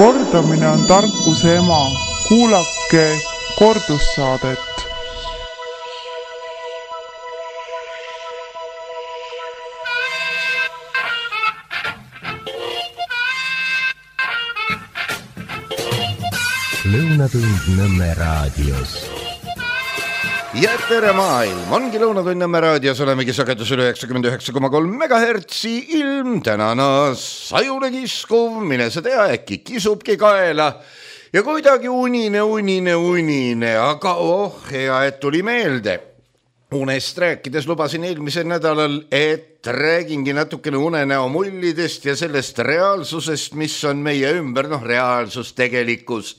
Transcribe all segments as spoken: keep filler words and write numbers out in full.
Kordamine on tarkuse ema. Kuulake kordussaadet. Lõunatund Nõmme raadios. Ja tere maailm, ongi Lõunatund Nõmme raadios, olemegi sagedus üle üheksakümmend üheksa koma kolm megahertsi, ilm tänana sajule kiskuv, mine sa tea, äkki kisubki kaela ja kuidagi unine, unine, unine, aga oh, hea, et tuli meelde. Unest rääkides lubasin eelmisel nädalal, et räägingi natukene unenäo mullidest ja sellest reaalsusest, mis on meie ümber, noh reaalsus, tegelikkus.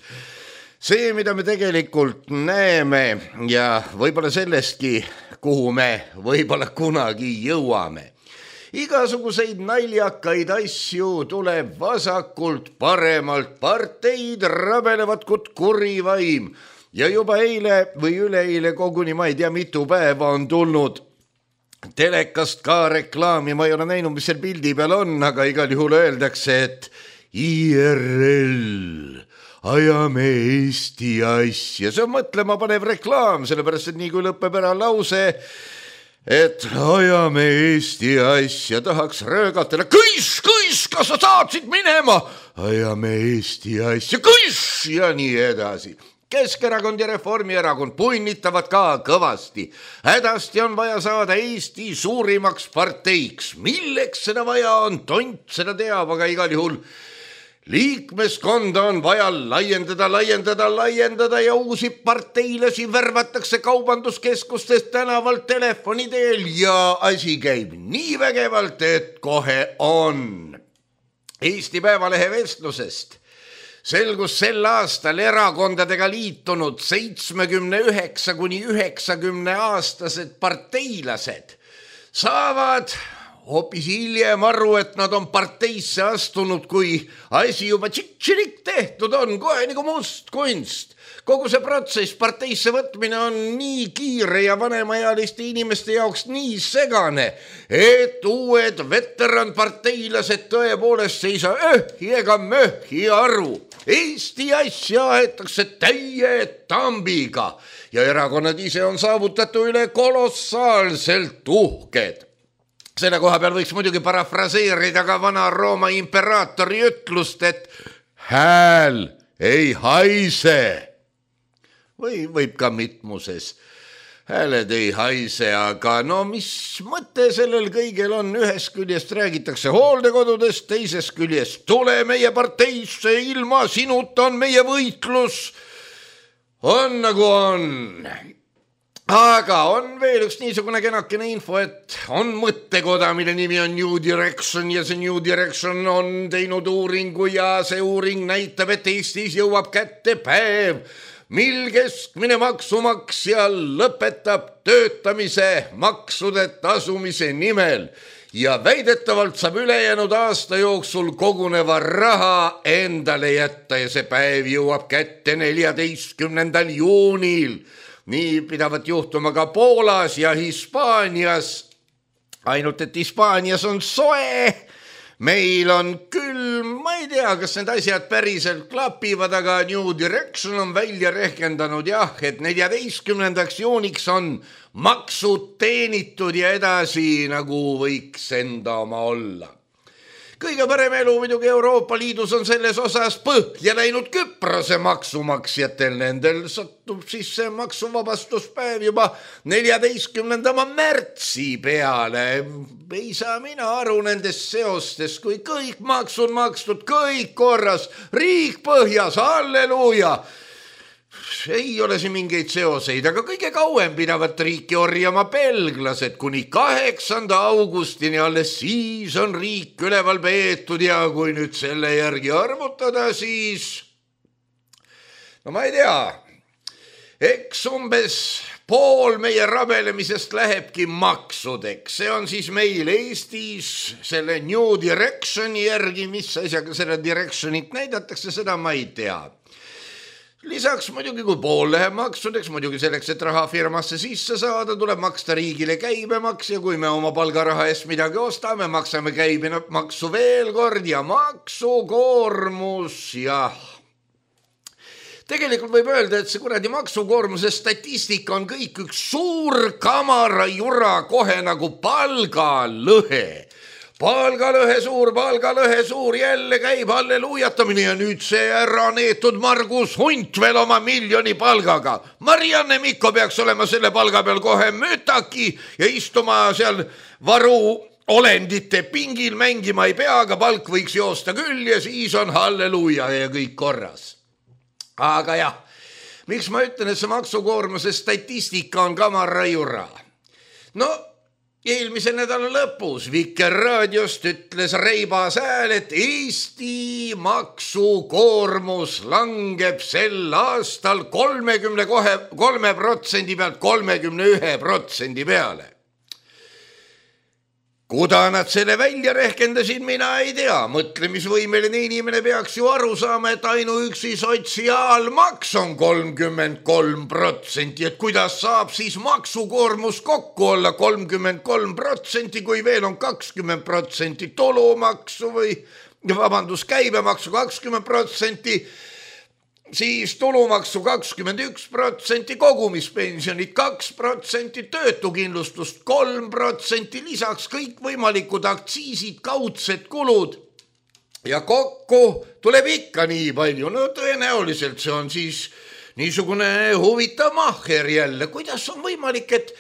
See, mida me tegelikult näeme ja võib-olla sellestki, kuhu me võib-olla kunagi jõuame. Igasuguseid naljakaid asju tuleb vasakult, paremalt, parteid rabelevad kut kurivaim. Ja juba eile või üleeile koguni, ma ei tea, mitu päeva on tulnud telekast ka reklaami, ma ei ole näinud, mis seal pildi peal on, aga igal juhul öeldakse, et I R L, ajame Eesti asja. See on mõtlema panev reklaam, sellepärast, et nii kui lõpeb ära lause, et ajame Eesti asja, tahaks röögatele, kõis, kõis, kas sa saatsid minema? Ajame Eesti asja, kõis ja nii edasi. Keskerakond ja Reformierakond punnitavad ka kõvasti. Hädasti on vaja saada Eesti suurimaks parteiks. Milleks seda vaja on? Tont seda teab, aga igal juhul liikmeskonda on vaja laiendada, laiendada, laiendada ja uusi parteilasi värvatakse kaubanduskeskustest tänavalt telefoni teel ja asi käib nii vägevalt, et kohe on. Eesti Päevalehe vestlusest selgus sel aastal erakondadega liitunud seitsmekümne üheksa kuni üheksakümne aastased parteilased saavad hoopis hiljem aru, et nad on parteisse astunud, kui asi juba tšik-tširik tehtud on, kohe nagu must kunst. Kogu see protsess parteisse võtmine on nii kiire ja vanemaealiste inimeste jaoks nii segane, et uued veteranparteilased tõepoolest ei saa öhhi ega möhhi aru. Eesti asja aetakse täie tambiga ja erakonnad ise on saavutatu üle kolossaalselt uhked. Selle koha peal võiks muidugi parafraseerida ka vana Rooma imperaatori ütlust, et hääl ei haise. Või võib ka mitmuses. Hääled ei haise, aga no mis mõte sellel kõigel on? Ühest küljest räägitakse hooldekodudest, teisest küljest tule meie parteisse, ilma sinuta on meie võitlus. On nagu on. Aga on veel üks niisugune kenakene info, et on mõttekoda, mille nimi on New Direction ja see New Direction on teinud uuringu ja see uuring näitab, et Eestis jõuab kätte päev, mil keskmine maksumaksja lõpetab töötamise maksude tasumise nimel ja väidetavalt saab ülejäänud aasta jooksul koguneva raha endale jätta ja see päev jõuab kätte neljateistkümnendal juunil. Nii pidavat juhtuma ka Poolas ja Hispaanias, ainult et Hispaanias on soe, meil on külm, ma ei tea, kas need asjad päriselt klapivad, aga New Direction on välja rehkendanud jah, et neljateistkümnendaks juuniks on maksud teenitud ja edasi nagu võiks enda oma olla. Kõige parem elu muidugi Euroopa Liidus on selles osas põhja läinud Küprose maksumaksjatel. Nendel sattub siis see maksuvabastuspäev juba neljateistkümnenda märtsi peale. Ei saa mina aru nendest seostest, kui kõik maksud makstud, kõik korras, riik põhjas, halleluuja. Ei ole siin mingeid seoseid, aga kõige kauem pidavat riiki orjama belglased kuni kaheksanda augustini, alles siis on riik üleval peetud ja kui nüüd selle järgi arvutada, siis no ma ei tea, eks umbes pool meie rabelemisest lähebki maksudeks. See on siis meil Eestis selle New Directioni järgi, mis asjaga selle Directionit näidatakse, seda ma ei tea. Lisaks muidugi, kui pool läheb maksudeks, muidugi selleks, et raha firmasse sisse saada, tuleb maksta riigile käibemaks ja kui me oma palgaraha eest midagi ostame, maksame käibemaksu veel kord ja maksukoormus, jah. Tegelikult võib öelda, et see kuradi maksukoormuse statistika on kõik üks suur kamarajura kohe nagu palgalõhe. Palgalõhe suur, palgalõhe suur, jälle käib halleluujatamine ja nüüd see ära neetud Margus Hunt veel oma miljoni palgaga. Marianne Mikko peaks olema selle palga peal kohe mütaki ja istuma seal varu olendite pingil, mängima ei pea, aga palk võiks joosta küll ja siis on halleluuja ja kõik korras. Aga jah, miks ma ütlen, et see maksukoormuse statistika on kamarajura? No, eelmise nädala lõpus Vikerraadiost ütles reibas hääl, et Eesti maksukoormus langeb sel aastal kolmekümne kolme protsendi pealt kolmekümne ühe protsendi peale. Kuda nad selle välja rehkendasid, mina ei tea. Mõtlemisvõimeline inimene peaks ju aru saama, et ainuüksi sotsiaalmaks on kolmkümmend kolm protsenti, et kuidas saab siis maksukoormus kokku olla kolmkümmend kolm protsenti, kui veel on kakskümmend protsenti tulumaksu või vabandus, käibemaksu kakskümmend protsenti, siis tulumaksu kakskümmend üks protsenti, kogumispensionid kaks protsenti, töötukindlustust kolm protsenti, lisaks kõik võimalikud aktsiisid, kaudsed kulud ja kokku tuleb ikka nii palju. No tõenäoliselt see on siis niisugune huvitav mahher jälle. Kuidas on võimalik, et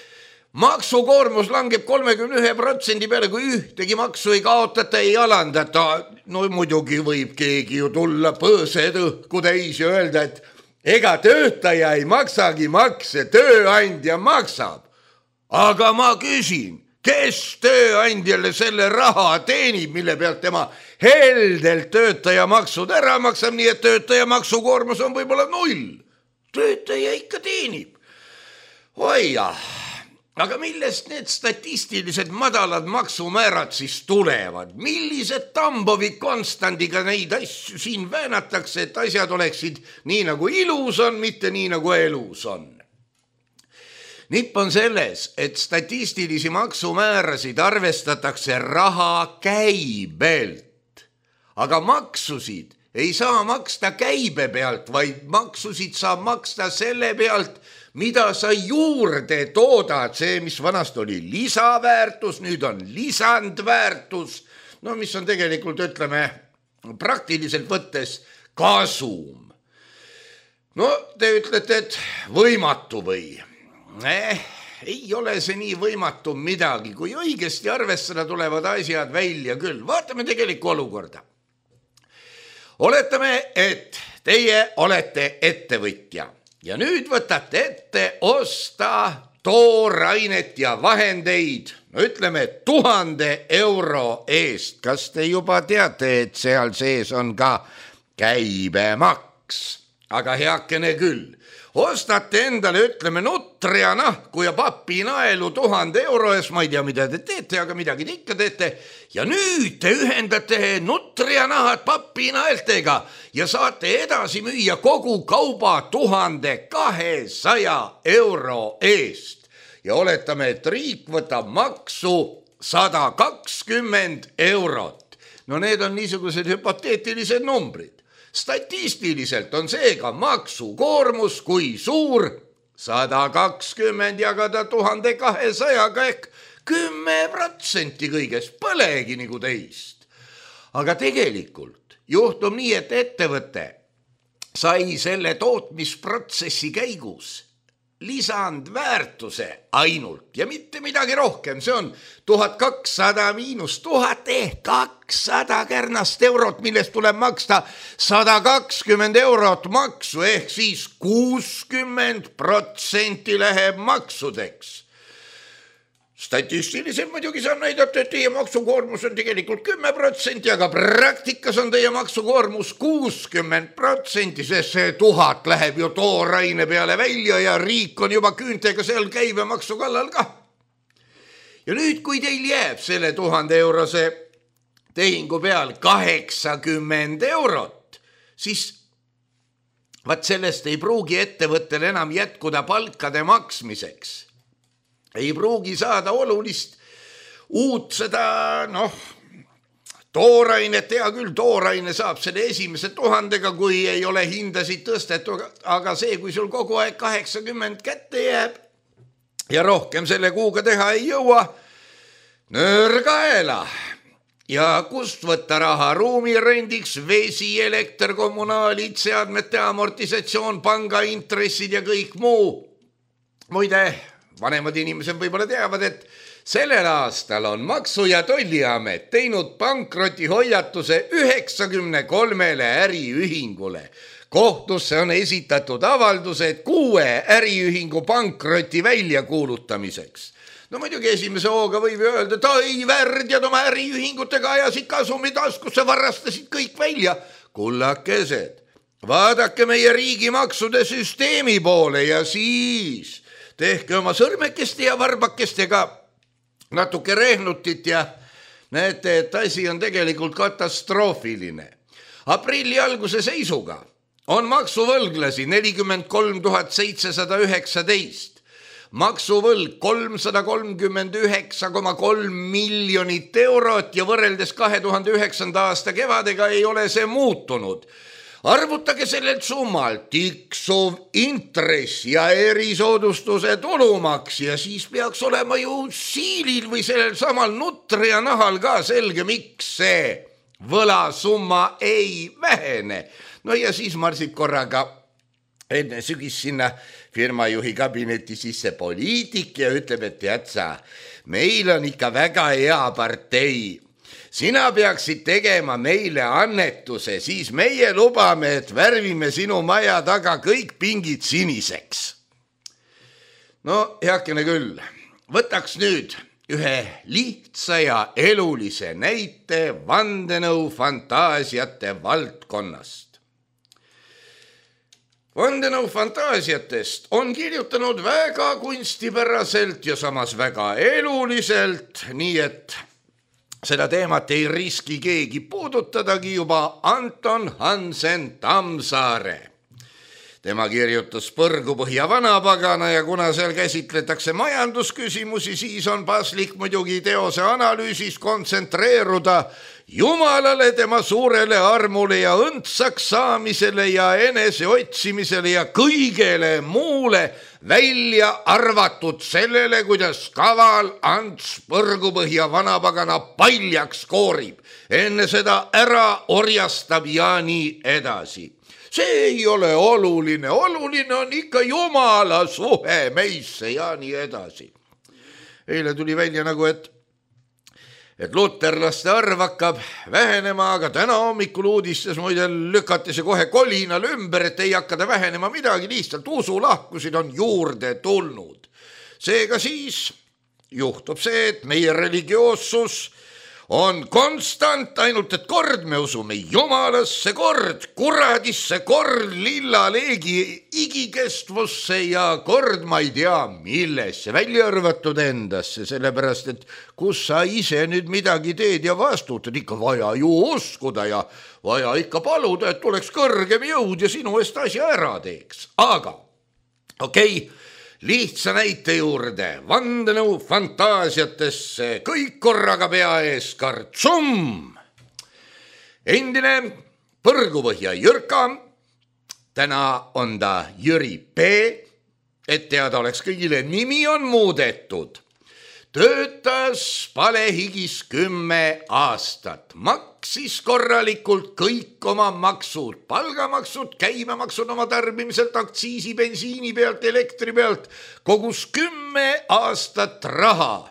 maksukoormus langeb kolmekümne ühe protsendi peale, kui ühtegi maksu ei kaotata, ei alandata. No muidugi võib keegi ju tulla põõsed õhku täis ja öelda, et ega töötaja ei maksagi makse, tööandja maksab. Aga ma küsin, kes tööandjale selle raha teenib, mille pealt tema heldelt töötaja maksud ära maksab, nii et töötaja maksukoormus on võib-olla null. Töötaja ikka teenib. Oi jah. Aga millest need statistilised madalad maksumäärad siis tulevad? Millised Tambovi konstandiga neid asju siin väänatakse, et asjad oleksid nii nagu ilus on, mitte nii nagu elus on? Nipp on selles, et statistilisi maksumäärasid arvestatakse raha käibelt, aga maksusid ei saa maksta käibe pealt, vaid maksusid saab maksta selle pealt, mida sa juurde toodad, see, mis vanast oli lisaväärtus, nüüd on lisandväärtus, no mis on tegelikult, ütleme, praktiliselt võttes kasum. No te ütlete, et võimatu või? Eh, ei ole see nii võimatu midagi, kui õigesti arvestada tulevad asjad välja küll. Vaatame tegelikku olukorda. Oletame, et teie olete ettevõtja. Ja nüüd võtate ette osta toorainet ja vahendeid, no ütleme tuhande euro eest. Kas te juba teate, et seal sees on ka käibemaks? Aga heakene küll. Ostate endale, ütleme, nutrianahku ja papinaelu tuhande euro ees, ma ei tea, mida te teete, aga midagi te ikka teete. Ja nüüd te ühendate nutrianahad papinaeltega ja saate edasi müüa kogu kauba tuhande kahesaja euro eest. Ja oletame, et riik võtab maksu sada kakskümmend eurot. No need on niisugused hüpoteetilised numbrid. Statistiliselt on seega maksukoormus kui suur sada kakskümmend jagada tuhande kahesajaga ehk kümme protsenti kõigest, põlegi nagu teist. Aga tegelikult juhtub nii, et ettevõte sai selle tootmisprotsessi käigus lisandväärtuse ainult ja mitte midagi rohkem. See on tuhat kakssada miinus tuhat ehk kakssada kärnast eurot, millest tuleb maksta sada kakskümmend eurot maksu ehk siis kuuskümmend protsenti läheb maksudeks. Statistiliselt muidugi saan näidata, et teie maksukoormus on tegelikult kümme protsenti, aga praktikas on teie maksukoormus kuuskümmend protsenti, sest see tuhat läheb ju tooraine peale välja ja riik on juba küüntega seal käibemaksu kallal ka. Ja nüüd, kui teil jääb selle tuhande eurose tehingu peal kaheksakümmend eurot, siis vaat sellest ei pruugi ettevõttel enam jätkuda palkade maksmiseks. Ei pruugi saada olulist uut seda, noh, toorainet, hea küll, tooraine saab selle esimese tuhandega, kui ei ole hindasid tõstetud, aga see, kui sul kogu aeg kaheksakümmend kätte jääb ja rohkem selle kuuga teha ei jõua, nöörgaela. Ja kust võtta raha ruumirendiks, vesi, elekter, kommunaalid, seadmete amortisatsioon, pangaintressid ja kõik muu. Muide, vanemad inimesed võib-olla teavad, et sellel aastal on Maksu- ja Tolliamet teinud pankrotihoiatuse üheksakümne kolmele äriühingule. Kohtusse on esitatud avaldused kuue äriühingu pankroti väljakuulutamiseks. No muidugi esimese hooga võib öelda, et ai, värdjad oma äriühingutega ajasid kasumi taskusse, varastasid kõik välja. Kullakesed, vaadake meie riigimaksude süsteemi poole ja siis tehke oma sõrmekeste ja varbakestega natuke rehnutit ja näete, et asi on tegelikult katastroofiline. Aprilli alguse seisuga on maksuvõlglasi nelikümmend kolm tuhat seitsesada üheksateist. Maksuvõlg kolmsada kolmkümmend üheksa koma kolm miljonit eurot ja võrreldes kahe tuhande üheksanda aasta kevadega ei ole see muutunud. Arvutage sellelt summalt tiksuv intress ja erisoodustuse tulumaks ja siis peaks olema ju siilil või sellel samal nutri ja nahal ka selge, miks see võlasumma ei vähene. No ja siis marsib korraga enne sügis sinna firmajuhi kabineti sisse poliitik ja ütleb, et tead sa, meil on ikka väga hea partei. Sina peaksid tegema meile annetuse, siis meie lubame, et värvime sinu maja taga kõik pingid siniseks. No heakene küll, võtaks nüüd ühe lihtsa ja elulise näite vandenõu fantaasiate valdkonnast. Vandenõu fantaasiatest on kirjutanud väga kunstipäraselt ja samas väga eluliselt, nii et seda teemat ei riski keegi puudutadagi juba Anton Hansen Tammsaare. Tema kirjutas Põrgupõhja vanapagana ja kuna seal käsitletakse majandusküsimusi, siis on paslik muidugi teose analüüsis kontsentreeruda Jumalale, tema suurele armule ja õndsaks saamisele ja enese otsimisele ja kõigele muule, välja arvatud sellele, kuidas kaval Ants Põrgupõhja vanapagana paljaks koorib, enne seda ära orjastab ja nii edasi. See ei ole oluline, oluline on ikka Jumala suhe meisse ja nii edasi. Eile tuli välja nagu, et et luterlaste arv hakkab vähenema, aga täna hommikul uudistes muide lükati see kohe kolinal ümber, et ei hakkada vähenema midagi, lihtsalt usulahkusid on juurde tulnud. Seega siis juhtub see, et meie religioossus on konstant, ainult et kord me usume Jumalasse, kord kuradisse, kord lillaleegi igikestvusse ja kord ma ei tea millesse, välja arvatud endasse, sellepärast et kus sa ise nüüd midagi teed ja vastutad, ikka vaja ju uskuda ja vaja ikka paluda, et tuleks kõrgem jõud ja sinu eest asja ära teeks. Aga okei, okay, lihtsa näite juurde, vandenõu fantaasiatesse, kõik korraga pea ees kartsum. Endine Põrgupõhja Jürka, täna on ta Jüri P, et teada oleks kõigile, nimi on muudetud. Töötas palehigis kümme aastat, maksis korralikult kõik oma maksud, palgamaksud, käibemaksud oma tarbimiselt, aktsiisi, bensiini pealt, elektri pealt, kogus kümme aastat raha.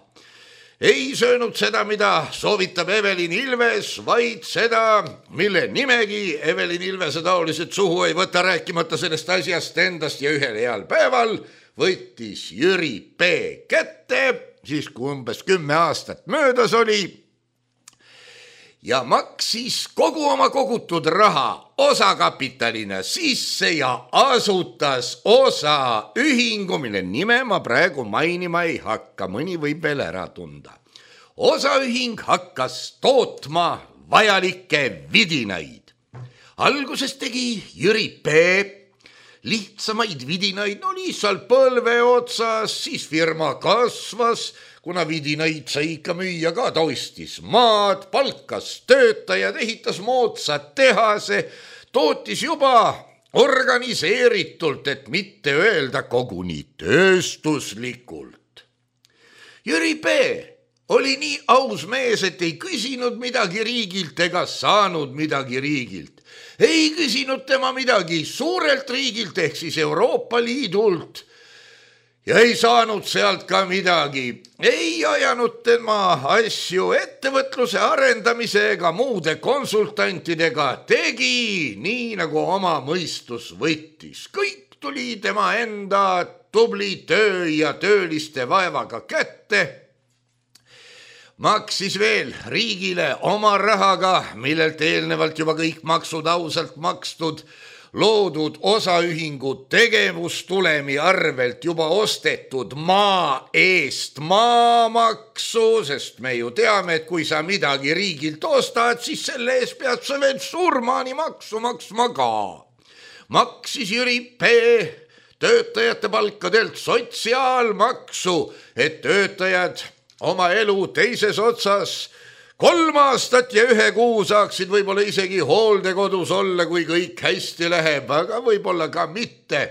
Ei söönud seda, mida soovitab Evelin Ilves, vaid seda, mille nimegi Evelin Ilvese taolised suhu ei võta, rääkimata sellest asjast endast ja ühel heal päeval võttis Jüri P kätte, siis kui umbes kümme aastat möödas oli ja maksis kogu oma kogutud raha osakapitalina sisse ja asutas osaühingu, mille nime ma praegu mainima ei hakka, mõni võib veel ära tunda. Osaühing hakkas tootma vajalikke vidinaid. Alguses tegi Jüri P lihtsamaid vidinaid, no lihtsalt põlve otsas, siis firma kasvas, kuna vidinaid sai ikka müüa ka, ta ostis maad, palkas töötajad, ehitas moodsad tehase, tootis juba organiseeritult, et mitte öelda koguni tööstuslikult. Jüri P. oli nii aus mees, et ei küsinud midagi riigilt ega saanud midagi riigilt. Ei küsinud tema midagi suurelt riigilt ehk siis Euroopa Liidult ja ei saanud sealt ka midagi. Ei ajanud tema asju ettevõtluse arendamise ega muude konsultantidega, tegi nii nagu oma mõistus võttis. Kõik tuli tema enda tubli töö ja tööliste vaevaga kätte. Maksis veel riigile oma rahaga, millelt eelnevalt juba kõik maksud ausalt makstud, loodud osaühingu tegevustulemi arvelt juba ostetud maa eest maamaksu, sest me ju teame, et kui sa midagi riigilt ostad, siis selle eest pead sa veel surmani maksu maksma ka. Maksis Jüri P. töötajate palkadelt sotsiaalmaksu, et töötajad oma elu teises otsas kolm aastat ja ühe kuu saaksid võib-olla isegi hooldekodus olla, kui kõik hästi läheb, aga võib-olla ka mitte.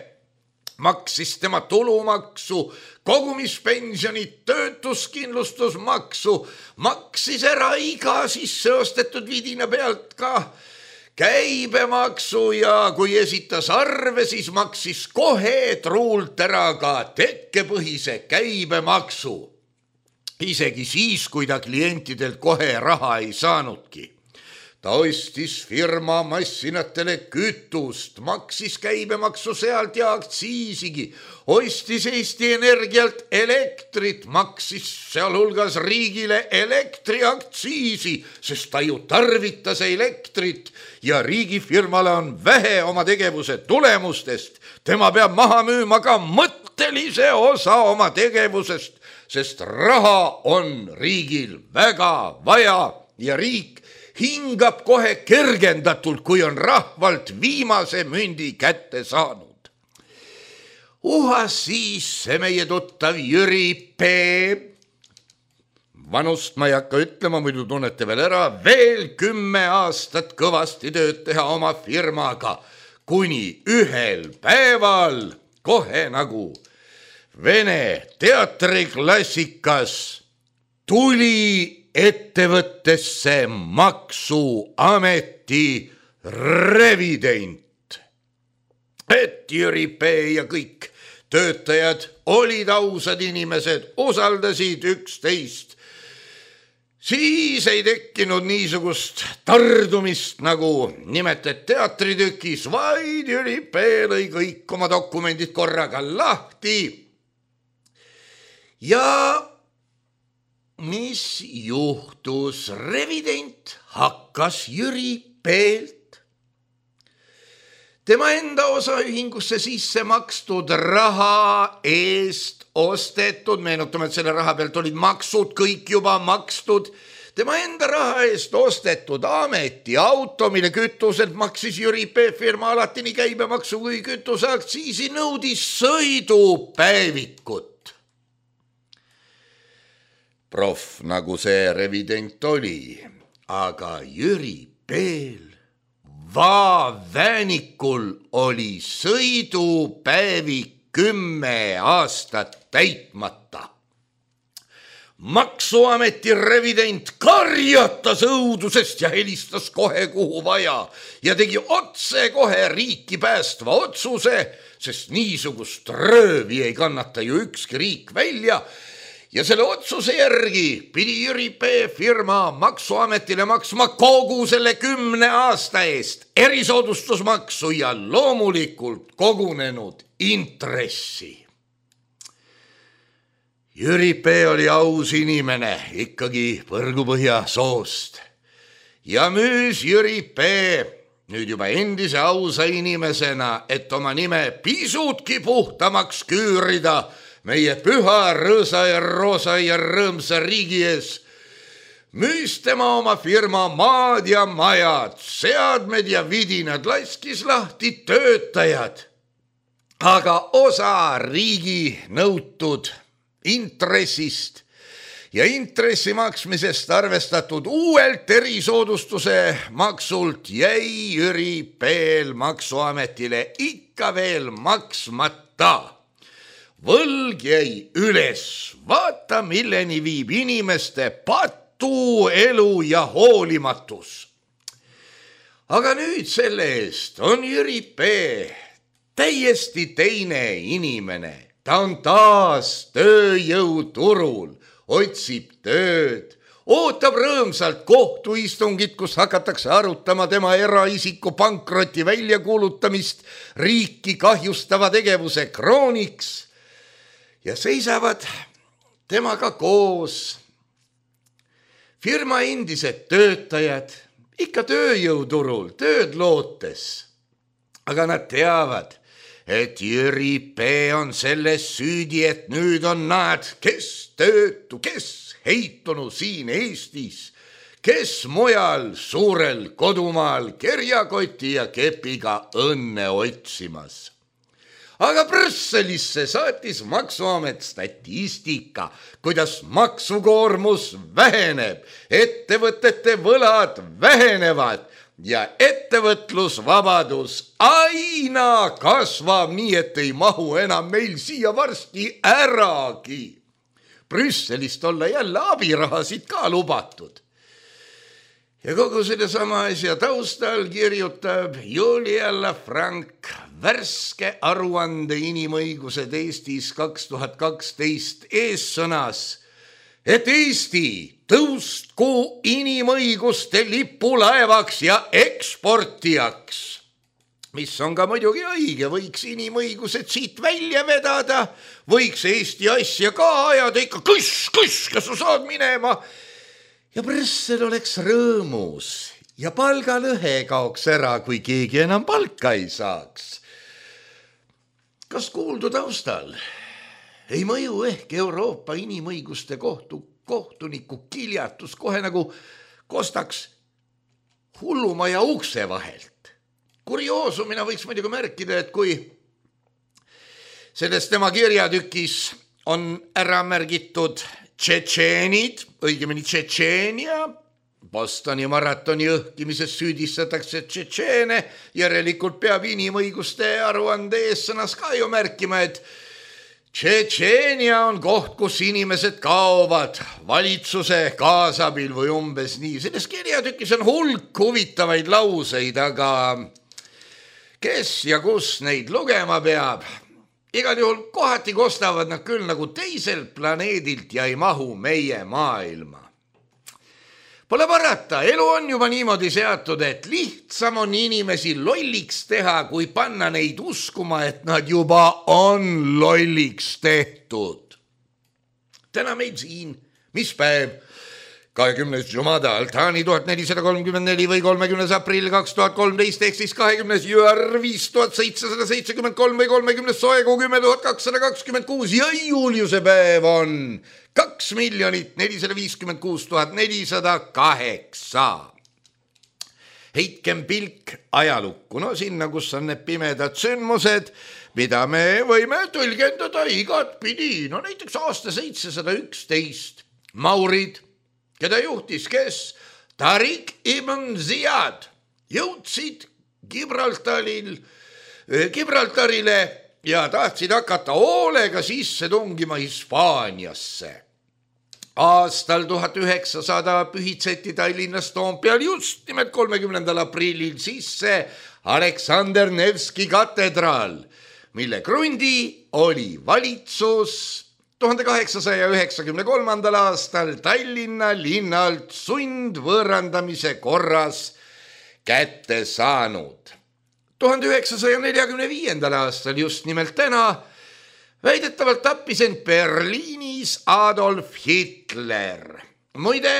Maksis tema tulumaksu, kogumispensionit, töötuskindlustusmaksu, maksis ära iga sisseostetud vidina pealt ka käibemaksu ja kui esitas arve, siis maksis kohe truult ära ka tekkepõhise käibemaksu. Isegi siis, kui ta klientidelt kohe raha ei saanudki. Ta ostis firma massinatele kütust, maksis käibemaksu sealt ja aktsiisigi, ostis Eesti Energialt elektrit, maksis sealhulgas riigile elektriaktsiisi, sest ta ju tarvitas elektrit ja riigifirmale on vähe oma tegevuse tulemustest. Tema peab maha müüma ka mõttelise osa oma tegevusest, sest raha on riigil väga vaja ja riik hingab kohe kergendatult, kui on rahvalt viimase mündi kätte saanud. Uhas siis see meie tuttav Jüri P. Vanust ma ei hakka ütlema, muidu tunnete veel ära, veel kümme aastat kõvasti tööd teha oma firmaga, kuni ühel päeval kohe nagu Vene teatriklassikas tuli ettevõttesse maksuameti revident. Et Jüri P. ja kõik töötajad olid ausad inimesed, usaldasid üksteist. Siis ei tekkinud niisugust tardumist nagu nimetad teatritükis, vaid Jüri P. lõi kõik oma dokumendid korraga lahti. Ja mis juhtus? Revident hakkas Jüri P.lt tema enda osaühingusse sisse makstud raha eest ostetud, meenutame, et selle raha pealt olid maksud kõik juba makstud, tema enda raha eest ostetud ametiauto, mille kütuselt maksis Jüri P. firma alati nii käibemaksu kui kütuseaktsiisi, nõudis sõidupäevikut. Proff nagu see revident oli, aga Jüri P.l Vaavänikul oli sõidupäevik kümme aastat täitmata. Maksuameti revident karjatas õudusest ja helistas kohe kuhu vaja ja tegi otse kohe riiki päästva otsuse, sest niisugust röövi ei kannata ju ükski riik välja. Ja selle otsuse järgi pidi Jüri P. firma maksuametile maksma kogu selle kümne aasta eest erisoodustusmaksu ja loomulikult kogunenud intressi. Jüri P. oli aus inimene, ikkagi Põrgupõhja soost. Ja müüs Jüri P. nüüd juba endise ausa inimesena, et oma nime pisutki puhtamaks küürida meie püha, rõõsa ja roosa ja rõõmsa riigi ees, müüs tema oma firma maad ja majad, seadmed ja vidinad, laskis lahti töötajad aga osa riigi nõutud intressist ja intressi maksmisest arvestatud uuelt erisoodustuse maksult jäi Jüri P-l Maksuametile ikka veel maksmata. Võlg jäi üles, vaata milleni viib inimeste patu elu ja hoolimatus. Aga nüüd selle eest on Jüri P täiesti teine inimene. Ta on taas tööjõuturul, otsib tööd, ootab rõõmsalt kohtuistungit, kus hakatakse arutama tema eraisiku pankroti väljakuulutamist riiki kahjustava tegevuse krooniks ja seisavad temaga koos firma endised töötajad, ikka tööjõuturul, tööd lootes. Aga nad teavad, et Jüri P on selles süüdi, et nüüd on nad, kes töötu, kes heitunu siin Eestis, kes mujal suurel kodumaal kerjakoti ja kepiga õnne otsimas. Aga Brüsselisse saatis Maksuamet statistika, kuidas maksukoormus väheneb, ettevõtete võlad vähenevad ja ettevõtlusvabadus aina kasvab nii, et ei mahu enam meil siia varsti äragi. Brüsselist olla jälle abirahasid ka lubatud. Ja kogu selle sama asja taustal kirjutab Julia Lafranc värske aruande inimõigused Eestis kaks tuhat kaksteist eessõnas, et Eesti tõustku inimõiguste lipulaevaks ja eksportijaks, mis on ka muidugi õige, võiks inimõigused siit välja vedada, võiks Eesti asja ka ajada ikka kõss, kõss, kas sa saad minema. Ja Brüssel oleks rõõmus ja palgalõhe kaoks ära, kui keegi enam palka ei saaks. Kas kuuldu taustal ei mõju ehk Euroopa inimõiguste kohtu kohtuniku kiljatus kohe nagu kostaks hullumaja ukse vahelt? Kurioosumina võiks muidugi märkida, et kui selles tema kirjatükis on ära märgitud tšetšeenid, õigemini Tšetšeenia, Bostoni maratoni õhkimises süüdistatakse tšetšeene, järelikult peab inimõiguste aruande eessõnas ka ju märkima, et Tšetšeenia on koht, kus inimesed kaovad valitsuse kaasabil või umbes nii. Selles kirjatükis on hulk huvitavaid lauseid, aga kes ja kus neid lugema peab? Igal juhul kohati kostavad nad küll nagu teiselt planeedilt ja ei mahu meie maailma. Pole parata, elu on juba niimoodi seatud, et lihtsam on inimesi lolliks teha, kui panna neid uskuma, et nad juba on lolliks tehtud. Täna meil siin, mis päev? kahekümnes Jumada Altani tuhat nelisada kolmkümmend neli või kolmekümnes aprill kaks tuhat kolmteist ehk siis kahekümnes Jüar viis tuhat seitsesada seitsekümmend kolm või kolmekümnes Soekuu kümme tuhat kakssada kakskümmend kuus ja Juliuse päev on kaks miljonit nelisada viiskümmend kuus tuhat nelisada kaheksa. Heitkem pilk ajalukku, no sinna, kus on need pimedad sündmused, mida me võime tõlgendada igat pidi. No näiteks aasta seitsesada üksteist Maurid, keda juhtis kes? Tariq ibn Ziyad jõudsid Gibraltaril, Gibraltarile ja tahtsid hakata hoolega sisse tungima Hispaaniasse. Aastal tuhat üheksasada pühitseti Tallinnas Toompeal just nimelt kolmekümnendal aprillil sisse Aleksander Nevski katedraal, mille krundi oli valitsus tuhande kaheksasaja üheksakümne kolmandal aastal Tallinna linnalt sundvõõrandamise korras kätte saanud. tuhande üheksasaja neljakümne viiendal aastal just nimelt täna väidetavalt tappis end Berliinis Adolf Hitler. Muide,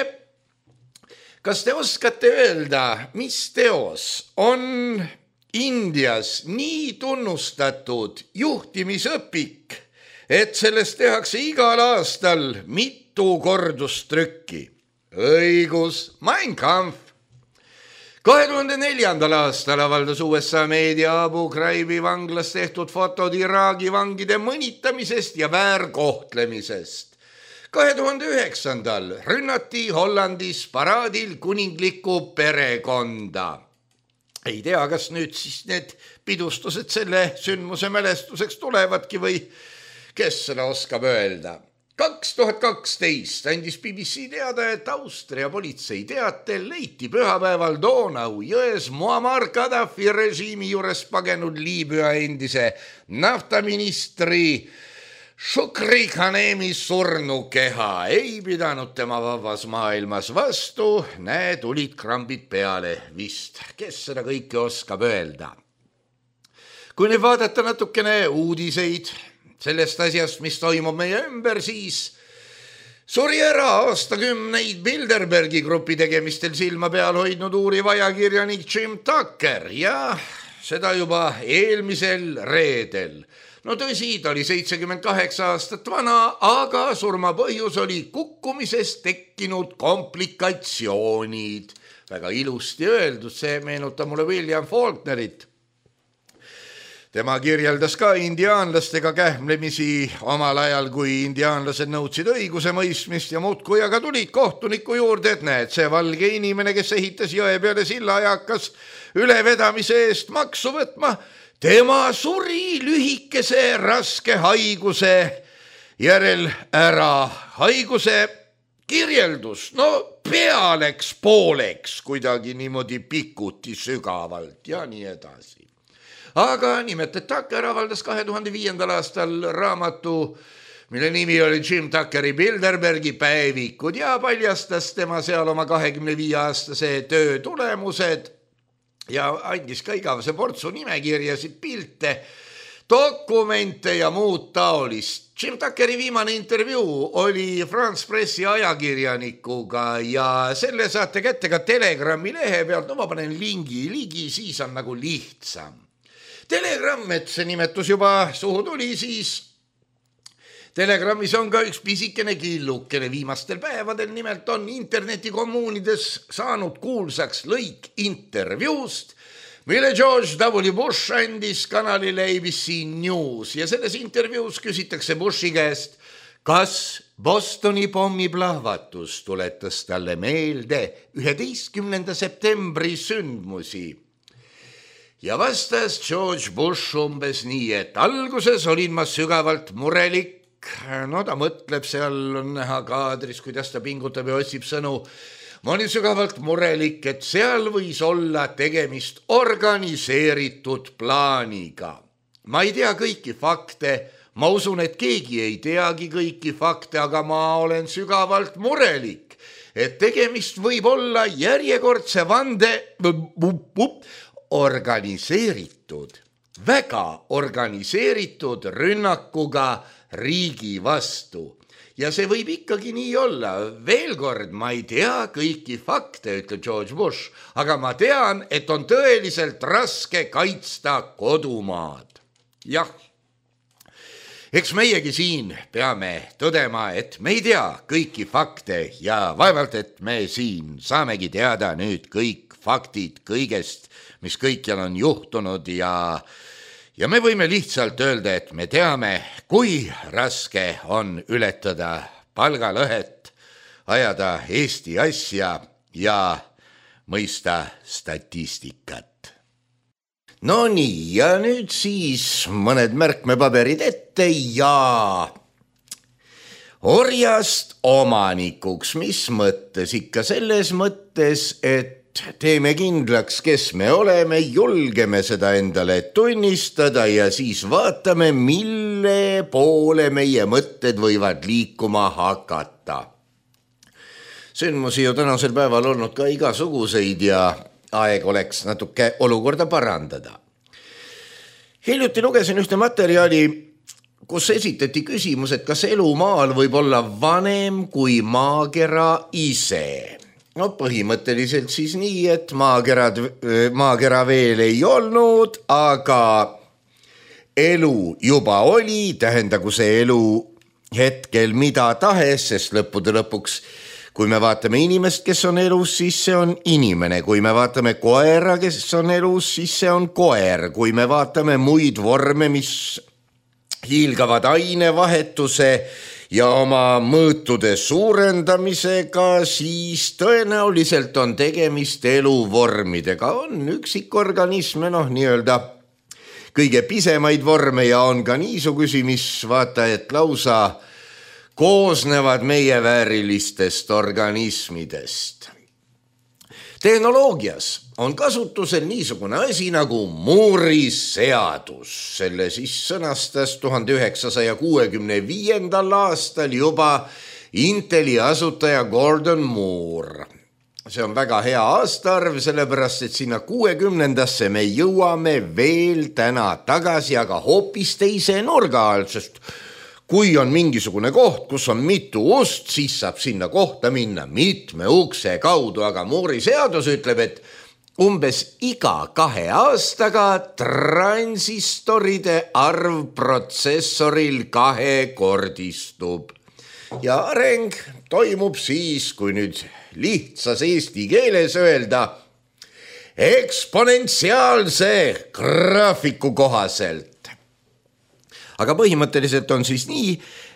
kas te oskate öelda, mis teos on Indias nii tunnustatud juhtimisõpik, et sellest tehakse igal aastal mitu kordustrükki? Õigus, Mein Kampf. kahe tuhande neljandal aastal avaldas U S A meedia Abu Ghraibi vanglas tehtud fotod Iraagi vangide mõnitamisest ja väärkohtlemisest. kahe tuhande üheksandal rünnati Hollandis paraadil kuninglikku perekonda. Ei tea, kas nüüd siis need pidustused selle sündmuse mälestuseks tulevadki või kes seda oskab öelda. kaks tuhat kaksteist andis B B C teada, et Austria politsei teatel leiti pühapäeval Donau jões Muammar Gaddafi režiimi juures pagenud Liibüa endise naftaministri Shukri Khanemi surnukeha. Ei pidanud tema vabas maailmas vastu, näe, tulid krambid peale vist. Kes seda kõike oskab öelda? Kui nüüd vaadata natukene uudiseid sellest asjast, mis toimub meie ümber, siis suri ära aastakümneid Bilderbergi grupi tegemistel silma peal hoidnud uuriv ajakirjanik Jim Tucker ja seda juba eelmisel reedel. No tõsi, ta oli seitsekümmend kaheksa aastat vana, aga surma põhjus oli kukkumisest tekkinud komplikatsioonid. Väga ilusti öeldud, see meenutab mulle William Faulknerit. Tema kirjeldas ka indiaanlastega kähmlemisi omal ajal, kui indiaanlased nõudsid õiguse mõistmist ja muudkui aga tulid kohtuniku juurde, et näed, see valge inimene, kes ehitas jõe peale silla ja hakkas ülevedamise eest maksu võtma, tema suri lühikese raske haiguse järel ära. Haiguse kirjeldus, no pea läks pooleks kuidagi niimoodi pikuti sügavalt ja nii edasi. Aga nimelt, et Tucker avaldas kahe tuhande viiendal aastal raamatu, mille nimi oli Jim Tuckeri Bilderbergi päevikud ja paljastas tema seal oma kahekümne viie aastase töö tulemused ja andis ka igavese portsu nimekirjasid, pilte, dokumente ja muud taolist. Jim Tuckeri viimane intervjuu oli France Pressi ajakirjanikuga ja selle saate kätte ka Telegrami lehe pealt, no ma panen lingi ligi, siis on nagu lihtsam. Telegram, et see nimetus juba suhu tuli, siis Telegramis on ka üks pisikene killukene viimastel päevadel, nimelt on internetikommuunides saanud kuulsaks lõik intervjuust, mille George W. Bush andis kanalile A B C News ja selles intervjuus küsitakse Bushi käest, kas Bostoni pommiplahvatus tuletas talle meelde üheteistkümnenda septembri sündmusi. Ja vastas George Bush umbes nii, et alguses olin ma sügavalt murelik, no ta mõtleb, seal on näha kaadris, kuidas ta pingutab ja otsib sõnu. Ma olin sügavalt murelik, et seal võis olla tegemist organiseeritud plaaniga. Ma ei tea kõiki fakte, ma usun, et keegi ei teagi kõiki fakte, aga ma olen sügavalt murelik, et tegemist võib olla järjekordse vande organiseeritud, väga organiseeritud rünnakuga riigi vastu. Ja see võib ikkagi nii olla. Veel kord, ma ei tea kõiki fakte, ütleb George Bush, aga ma tean, et on tõeliselt raske kaitsta kodumaad. Jah, eks meiegi siin peame tõdema, et me ei tea kõiki fakte ja vaevalt, et me siin saamegi teada nüüd kõik faktid kõigest, mis kõikjal on juhtunud ja, ja me võime lihtsalt öelda, et me teame, kui raske on ületada palgalõhet, ajada Eesti asja ja mõista statistikat. No nii, ja nüüd siis mõned märkmepaberid ette ja orjast omanikuks, mis mõttes? Ikka selles mõttes, et teeme kindlaks, kes me oleme, julgeme seda endale tunnistada ja siis vaatame, mille poole meie mõtted võivad liikuma hakata. Sündmusi ju tänasel päeval olnud ka igasuguseid ja aeg oleks natuke olukorda parandada. Hiljuti lugesin ühte materjali, kus esitati küsimus, et kas elu maal võib olla vanem kui maakera ise. No põhimõtteliselt siis nii, et maakerad, maakera veel ei olnud, aga elu juba oli, tähendagu see elu hetkel mida tahes, sest lõppude lõpuks, kui me vaatame inimest, kes on elus, siis see on inimene. Kui me vaatame koera, kes on elus, siis see on koer. Kui me vaatame muid vorme, mis hiilgavad ainevahetuse ja oma mõõtude suurendamisega, siis tõenäoliselt on tegemist eluvormidega. On üksikorganisme, noh, nii-öelda kõige pisemaid vorme ja on ka niisugusi, mis vaata, et lausa koosnevad meie väärilistest organismidest. Tehnoloogias on kasutusel niisugune asi nagu Moore'i seadus. Selle siis sõnastas tuhande üheksasaja kuuekümne viiendal aastal juba Inteli asutaja Gordon Moore. See on väga hea aastaarv, sellepärast et sinna kuuekümnendasse me jõuame veel täna tagasi, aga hoopis teise nurga all, sest kui on mingisugune koht, kus on mitu ust, siis saab sinna kohta minna mitme ukse kaudu, aga Moore'i seadus ütleb, et umbes iga kahe aastaga transistoride arv protsessoril kahekordistub. Ja areng toimub siis, kui nüüd lihtsas eesti keeles öelda, eksponentsiaalse graafiku kohaselt. Aga põhimõtteliselt on siis nii,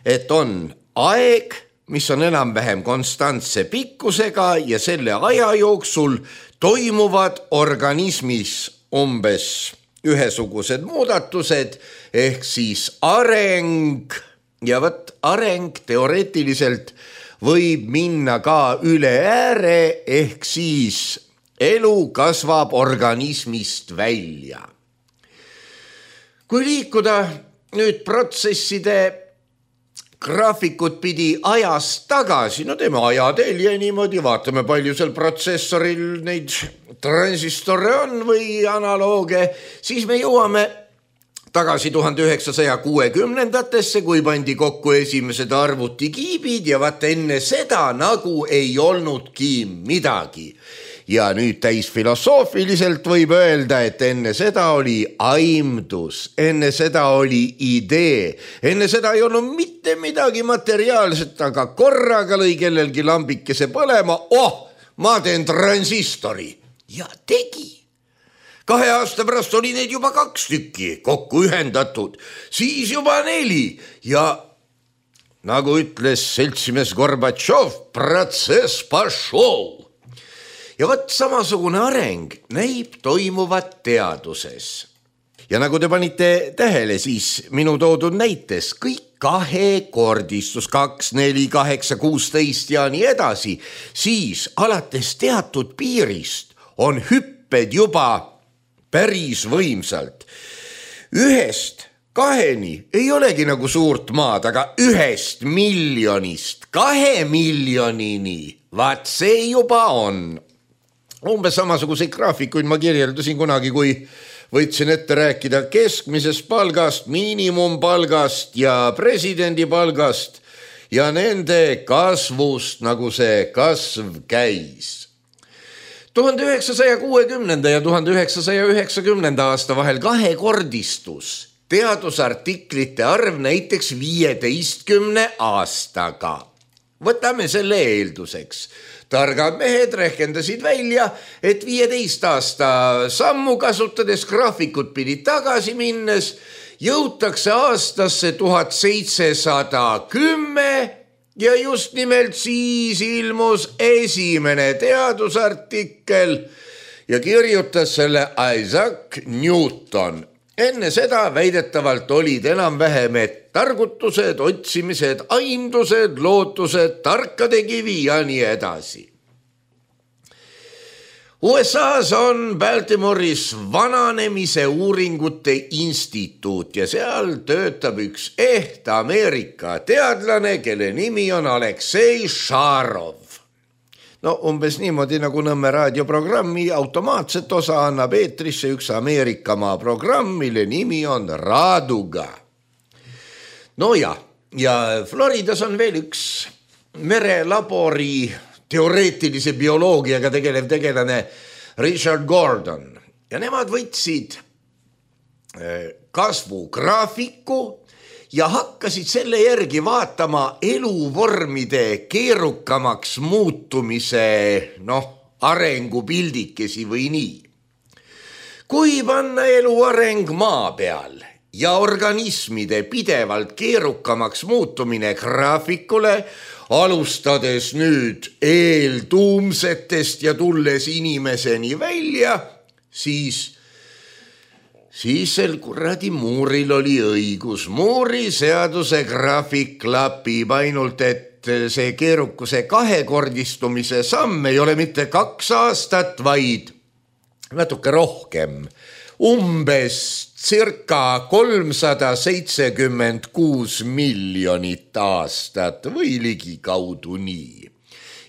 et on aeg, mis on enam-vähem konstantse pikkusega ja selle aja jooksul toimuvad organismis umbes ühesugused muudatused ehk siis areng ja võt areng teoreetiliselt võib minna ka üle ääre ehk siis elu kasvab organismist välja. Kui liikuda nüüd protsesside graafikut pidi ajast tagasi, no teeme ajatelje niimoodi, vaatame palju seal protsessoril neid transistore on või analooge, siis me jõuame tagasi tuhande üheksasaja kuuekümnendatesse, kui pandi kokku esimesed arvutikiibid ja vaat enne seda nagu ei olnudki midagi. Ja nüüd täis filosoofiliselt võib öelda, et enne seda oli aimdus, enne seda oli idee, enne seda ei olnud mitte midagi materiaalset, aga korraga lõi kellelgi lambikese põlema, oh, ma teen transistori ja tegi. Kahe aasta pärast oli neid juba kaks tükki kokku ühendatud, siis juba neli ja nagu ütles seltsimees Gorbatšov, protsess pašol. Ja võt samasugune areng näib toimuvat teaduses. Ja nagu te panite tähele, siis minu toodud näites kõik kahekordistus, kaks, neli, kaheksa, kuusteist ja nii edasi, siis alates teatud piirist on hüpped juba päris võimsalt. Ühest kaheni ei olegi nagu suurt maad, aga ühest miljonist kahe miljonini, vaat see juba on. Umbes samasuguseid graafikuid ma kirjeldasin kunagi, kui võtsin ette rääkida keskmisest palgast, miinimumpalgast ja presidendi palgast ja nende kasvust, nagu see kasv käis. tuhande üheksasaja kuuekümnenda ja tuhande üheksasaja üheksakümnenda aasta vahel kahekordistus teadusartiklite arv näiteks viieteistkümne aastaga. Võtame selle eelduseks. Targad mehed rehkendasid välja, et viieteist aasta sammu kasutades graafikut pidi tagasi minnes, jõutakse aastasse tuhat seitsesada kümme ja just nimelt siis ilmus esimene teadusartikkel ja kirjutas selle Isaac Newton. Enne seda väidetavalt olid enam-vähem, et targutused, otsimised, aimdused, lootused, tarkade kivi ja nii edasi. U S A-s on Baltimore'is vananemise uuringute instituut ja seal töötab üks eht Ameerika teadlane, kelle nimi on Aleksei Šarov. No umbes niimoodi nagu Nõmme raadioprogrammi automaatset osa annab eetrisse üks Ameerikamaa programm, mille nimi on Raduga. No ja, ja Floridas on veel üks merelabori teoreetilise bioloogiaga tegelev tegelane Richard Gordon. Ja nemad võtsid kasvugraafiku ja hakkasid selle järgi vaatama eluvormide keerukamaks muutumise, noh, arengupildikesi või nii. Kui panna elu areng maa peal ja organismide pidevalt keerukamaks muutumine graafikule, alustades nüüd eeltuumsetest ja tulles inimeseni välja, siis, siis sel kuradi Mooril oli õigus. Moori seaduse graafik klapib, ainult et see keerukuse kahekordistumise samm ei ole mitte kaks aastat, vaid natuke rohkem. Umbes circa kolmsada seitsekümmend kuus miljonit aastat või ligikaudu nii.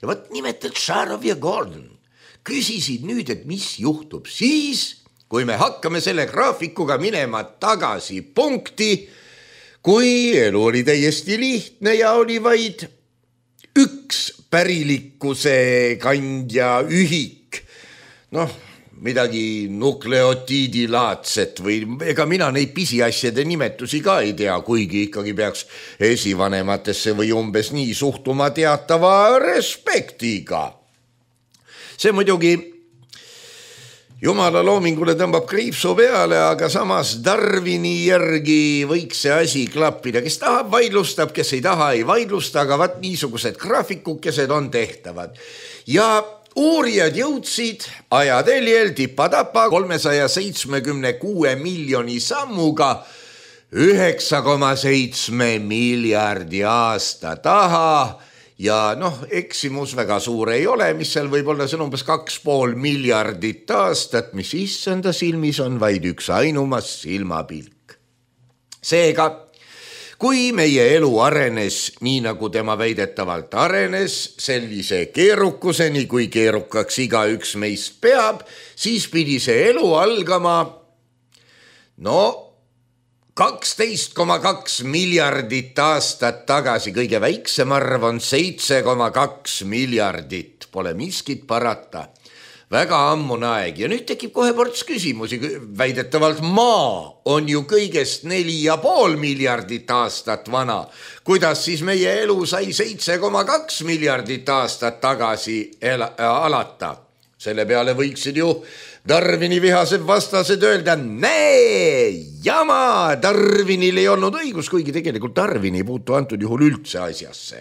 Ja võt nimelt Sharov ja Gordon küsisid nüüd, et mis juhtub siis, kui me hakkame selle graafikuga minema tagasi punkti, kui elu oli täiesti lihtne ja oli vaid üks pärilikkuse kandja ühik, noh, midagi nukleotiidilaadset või ega mina neid pisiasjade nimetusi ka ei tea, kuigi ikkagi peaks esivanematesse või umbes nii suhtuma teatava respektiga. See muidugi Jumala loomingule tõmbab kriipsu peale, aga samas Darwini järgi võiks see asi klappida. Kes tahab, vaidlustab, kes ei taha, ei vaidlusta, aga vaat niisugused graafikukesed on tehtavad. Ja uurijad jõudsid ajateljel tipa-tapa kolmesaja seitsmekümne kuue miljoni sammuga üheksa koma seitse miljardi aasta taha. Ja noh, eksimus väga suur ei ole, mis seal võib olla, see on umbes kaks pool miljardit aastat, mis issanda silmis on vaid üks ainumas silmapilk. Seega, kui meie elu arenes nii nagu tema väidetavalt arenes, sellise keerukuseni, kui keerukaks iga üks meist peab, siis pidi see elu algama, no kaksteist koma kaks miljardit aastat tagasi, kõige väiksem arv on seitse koma kaks miljardit, pole miskit parata. Väga ammune aeg ja nüüd tekib kohe ports küsimusi, väidetavalt maa on ju kõigest neli ja pool miljardit aastat vana. Kuidas siis meie elu sai seitse koma kaks miljardit aastat tagasi ela, alata? Selle peale võiksid ju Darwini vihased vastased öelda, näe, jama, Darwinil ei olnud õigus, kuigi tegelikult Darwin ei puutu antud juhul üldse asjasse.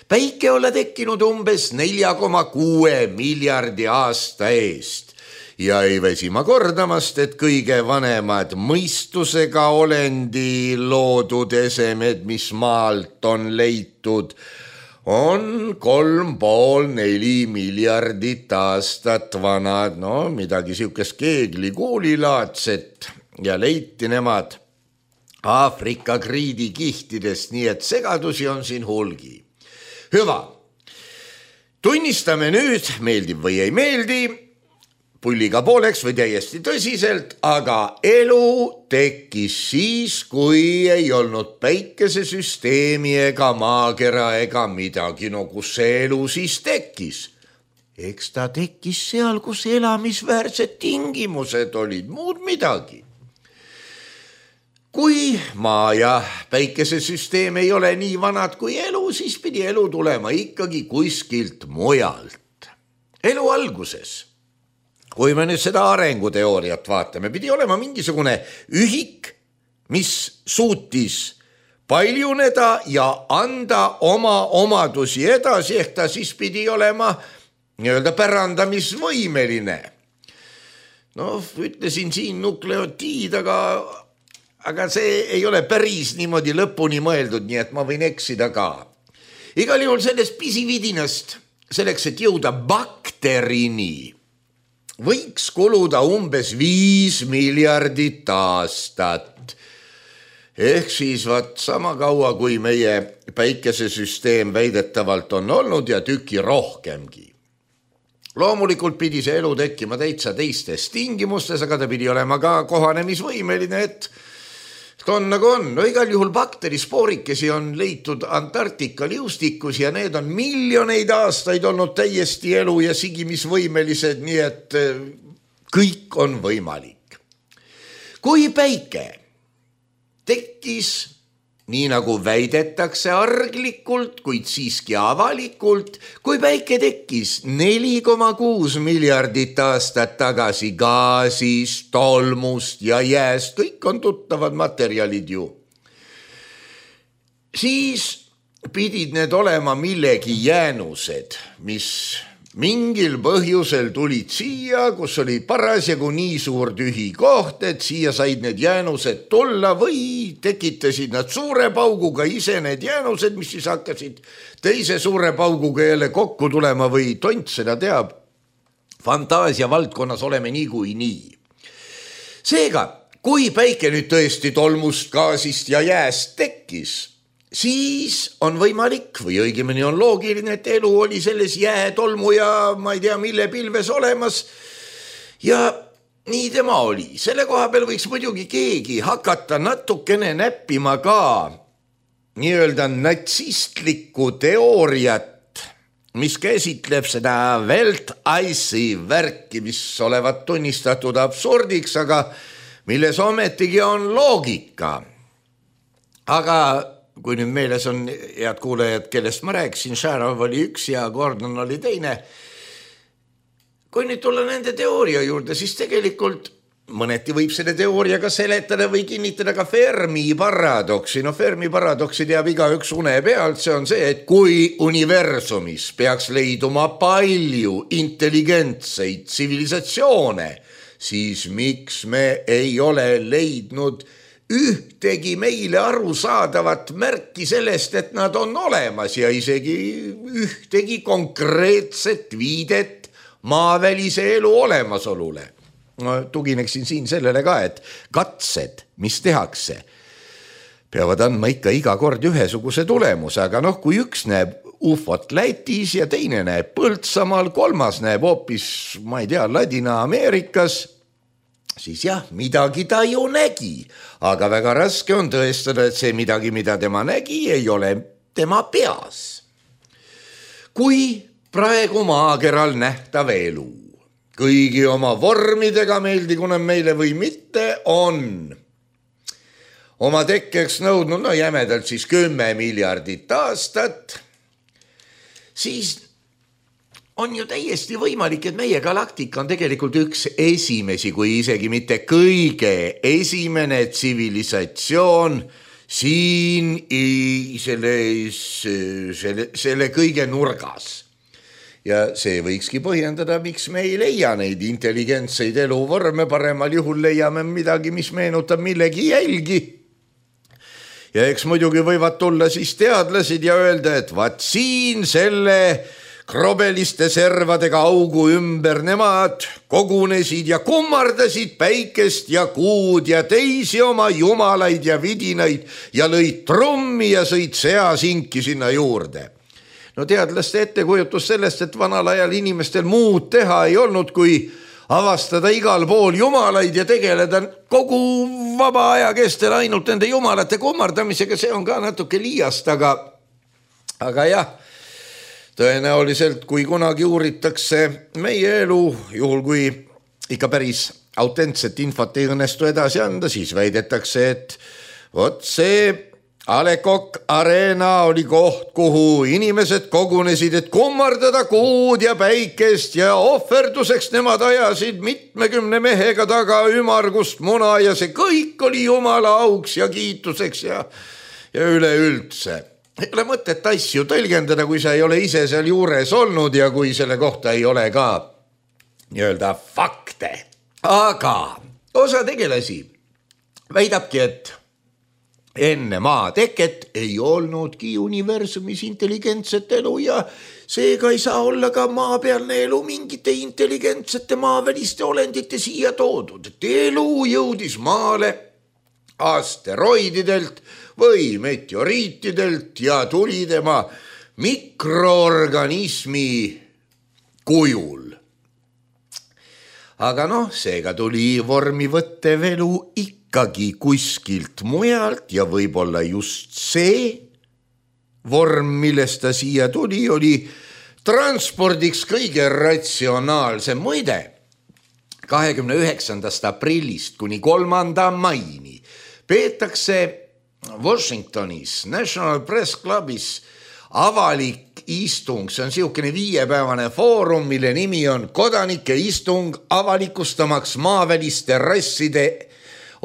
Päike olla tekkinud umbes nelja koma kuue miljardi aasta eest ja ei väsi ma kordamast, et kõige vanemad mõistusega olendi loodud esemed, mis maalt on leitud, on kolm pool neli miljardit aastat vanad, no midagi siukest keeglikuulilaadset ja leiti nemad Aafrika kriidikihtidest, nii et segadusi on siin hulgi. Hüva, tunnistame nüüd, meeldib või ei meeldi, pulliga pooleks või täiesti tõsiselt, aga elu tekkis siis, kui ei olnud päikesesüsteemi ega maakera ega midagi. No kus see elu siis tekkis? Eks ta tekkis seal, kus elamisväärsed tingimused olid, muud midagi. Kui maa ja päikesesüsteem ei ole nii vanad kui elu, siis pidi elu tulema ikkagi kuskilt mujalt. Elu alguses, kui me nüüd seda arenguteooriat vaatame, pidi olema mingisugune ühik, mis suutis paljuneda ja anda oma omadusi edasi, ehk ta siis pidi olema nii-öelda pärandamisvõimeline. No, ütlesin siin nukleotiid, aga, aga see ei ole päris niimoodi lõpuni mõeldud, nii et ma võin eksida ka. Igal juhul sellest pisividinast, selleks, et jõuda bakterini, võiks kuluda umbes viis miljardit aastat. Ehk siis vaat sama kaua, kui meie päikesesüsteem väidetavalt on olnud ja tüki rohkemgi. Loomulikult pidi see elu tekkima täitsa teistes tingimustes, aga ta pidi olema ka kohanemisvõimeline, et on nagu on. No igal juhul bakterisporikesi on leitud Antarktika liustikus ja need on miljoneid aastaid olnud täiesti elu ja sigimisvõimelised, nii et kõik on võimalik. Kui päike tekkis, nii nagu väidetakse arglikult, kuid siiski avalikult, kui päike tekkis neli koma kuus miljardit aastat tagasi gaasist, tolmust ja jääst, kõik on tuttavad materjalid ju. Siis pidid need olema millegi jäänused, mis mingil põhjusel tulid siia, kus oli parasjagu nii suur tühi koht, et siia said need jäänused tulla või tekitasid nad suure pauguga ise need jäänused, mis siis hakkasid teise suure pauguga jälle kokku tulema või tont seda teab. Fantaasia valdkonnas oleme nii kui nii. Seega, kui päike nüüd tõesti tolmust, gaasist ja jääst tekkis, siis on võimalik või õigemini on loogiline, et elu oli selles jää, tolmu ja ma ei tea, mille pilves olemas ja nii tema oli. Selle koha peal võiks muidugi keegi hakata natukene näppima ka nii-öelda natsistlikku teooriat, mis käsitleb seda Weltallsi värki, mis olevat tunnistatud absurdiks, aga milles ometigi on loogika. Aga kui nüüd meeles on, head kuulajad, kellest ma rääkisin, Šarov oli üks ja Gordon oli teine. Kui nüüd tulla nende teooria juurde, siis tegelikult mõneti võib selle teooriaga seletada või kinnitada ka Fermi paradoksi. No Fermi paradoksi teab iga üks une pealt, see on see, et kui universumis peaks leiduma palju intelligentseid tsivilisatsioone, siis miks me ei ole leidnud ühtegi meile arusaadavat märki sellest, et nad on olemas ja isegi ühtegi konkreetset viidet maavälise elu olemasolule. Ma tugineksin siin sellele ka, et katsed, mis tehakse, peavad andma ikka iga kord ühesuguse tulemuse, aga noh, kui üks näeb ufot Lätis ja teine näeb Põltsamaal, kolmas näeb hoopis, ma ei tea, Ladina-Ameerikas, siis jah, midagi ta ju nägi, aga väga raske on tõestada, et see midagi, mida tema nägi, ei ole tema peas. Kui praegu maakeral nähtav elu, kõigi oma vormidega meeldigu nad meile või mitte, on oma tekkeks nõudnud, no jämedalt siis kümme miljardit aastat, siis on ju täiesti võimalik, et meie galaktika on tegelikult üks esimesi, kui isegi mitte kõige esimene tsivilisatsioon siin selle, selle, selle kõige nurgas. Ja see võikski põhjendada, miks me ei leia neid intelligentseid eluvorme, paremal juhul leiame midagi, mis meenutab millegi jälgi. Ja eks muidugi võivad tulla siis teadlased ja öelda, et vaat siin selle krobeliste servadega augu ümber nemad kogunesid ja kummardasid päikest ja kuud ja teisi oma jumalaid ja vidinaid ja lõid trummi ja sõid seasinki sinna juurde. No teadlaste ettekujutus sellest, et vanal ajal inimestel muud teha ei olnud, kui avastada igal pool jumalaid ja tegeleda kogu vaba aja kestel ainult nende jumalate kummardamisega, see on ka natuke liiast, aga, aga jah, tõenäoliselt, kui kunagi uuritakse meie elu, juhul kui ikka päris autentset infot ei õnnestu edasi anda, siis väidetakse, et vot see A Le Coq Arena oli koht, kuhu inimesed kogunesid, et kummardada kuud ja päikest ja ohverduseks nemad ajasid mitmekümne mehega taga ümargust muna ja see kõik oli jumala auks ja kiituseks ja, ja üleüldse. Ei ole mõtet asju tõlgendada, kui sa ei ole ise seal juures olnud ja kui selle kohta ei ole ka nii-öelda fakte. Aga osa tegelasi väidabki, et enne maa teket ei olnudki universumis intelligentset elu ja seega ei saa olla ka maapealne elu mingite intelligentsete maaväliste olendite siia toodud. Et elu jõudis maale asteroididelt või meteoriitidelt ja tuli tema mikroorganismi kujul. Aga noh, seega tuli vormi võttev elu ikkagi kuskilt mujalt ja võib-olla just see vorm, millest ta siia tuli, oli transpordiks kõige ratsionaalsem. Muide, kahekümne üheksandast aprillist kuni kolmanda maini peetakse Washingtonis National Press Clubis avalik istung, see on siukene viiepäevane foorum, mille nimi on kodanike istung avalikustamaks maaväliste rasside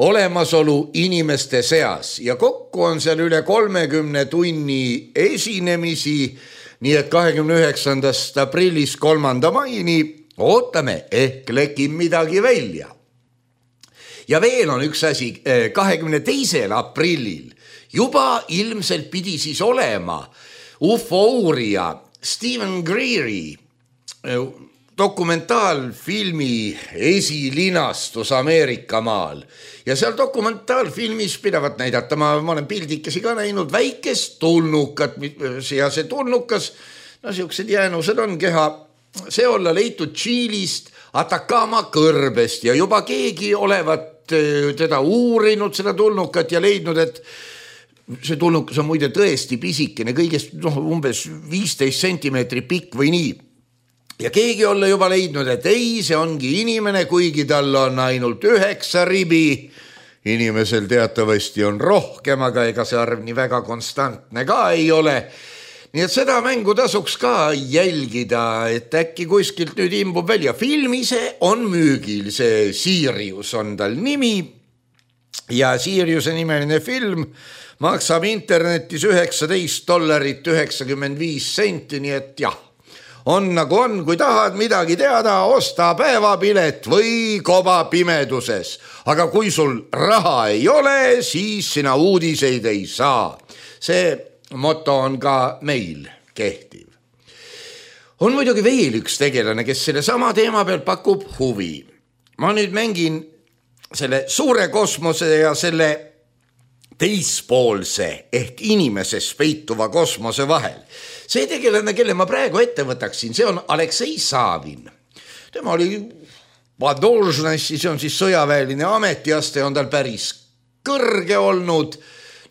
olemasolu inimeste seas ja kokku on seal üle kolmekümne tunni esinemisi, nii et kahekümne üheksandast aprillis kolmanda maini ootame, ehk lekib midagi välja. Ja veel on üks asi, kahekümne teisel aprillil juba ilmselt pidi siis olema ufo-uurija Stephen Greeri dokumentaalfilmi esilinastus Ameerika maal ja seal dokumentaalfilmis pidavat näidata, ma, ma olen pildikesi ka näinud, väikest tulnukat ja see tulnukas, no siuksed jäänused on keha, see olla leitud Tšiilist Atacama kõrbest ja juba keegi olevat teda uurinud seda tulnukat ja leidnud, et see tulnukas on muide tõesti pisikene, kõigest no, umbes viisteist sentimeetri pikk või nii. Ja keegi olla juba leidnud, et ei, see ongi inimene, kuigi tal on ainult üheksa ribi. Inimesel teatavasti on rohkem, aga ega see arv nii väga konstantne ka ei ole. Nii et seda mängu tasuks ka jälgida, et äkki kuskilt nüüd imbub välja. Film ise on müügil, see Sirius on tal nimi ja Siriuse nimeline film maksab internetis üheksateist dollarit üheksakümmend viis senti, nii et jah. On nagu on, kui tahad midagi teada, osta päevapilet või koba pimeduses. Aga kui sul raha ei ole, siis sina uudiseid ei saa. See moto on ka meil kehtiv. On muidugi veel üks tegelane, kes selle sama teema peal pakub huvi. Ma nüüd mängin selle suure kosmose ja selle teispoolse ehk inimeses peituva kosmose vahel. See tegelane, kelle ma praegu ette võtaksin, see on Aleksei Savin. Tema oli Padožnassi, see on siis sõjaväeline ametiaste, on tal päris kõrge olnud.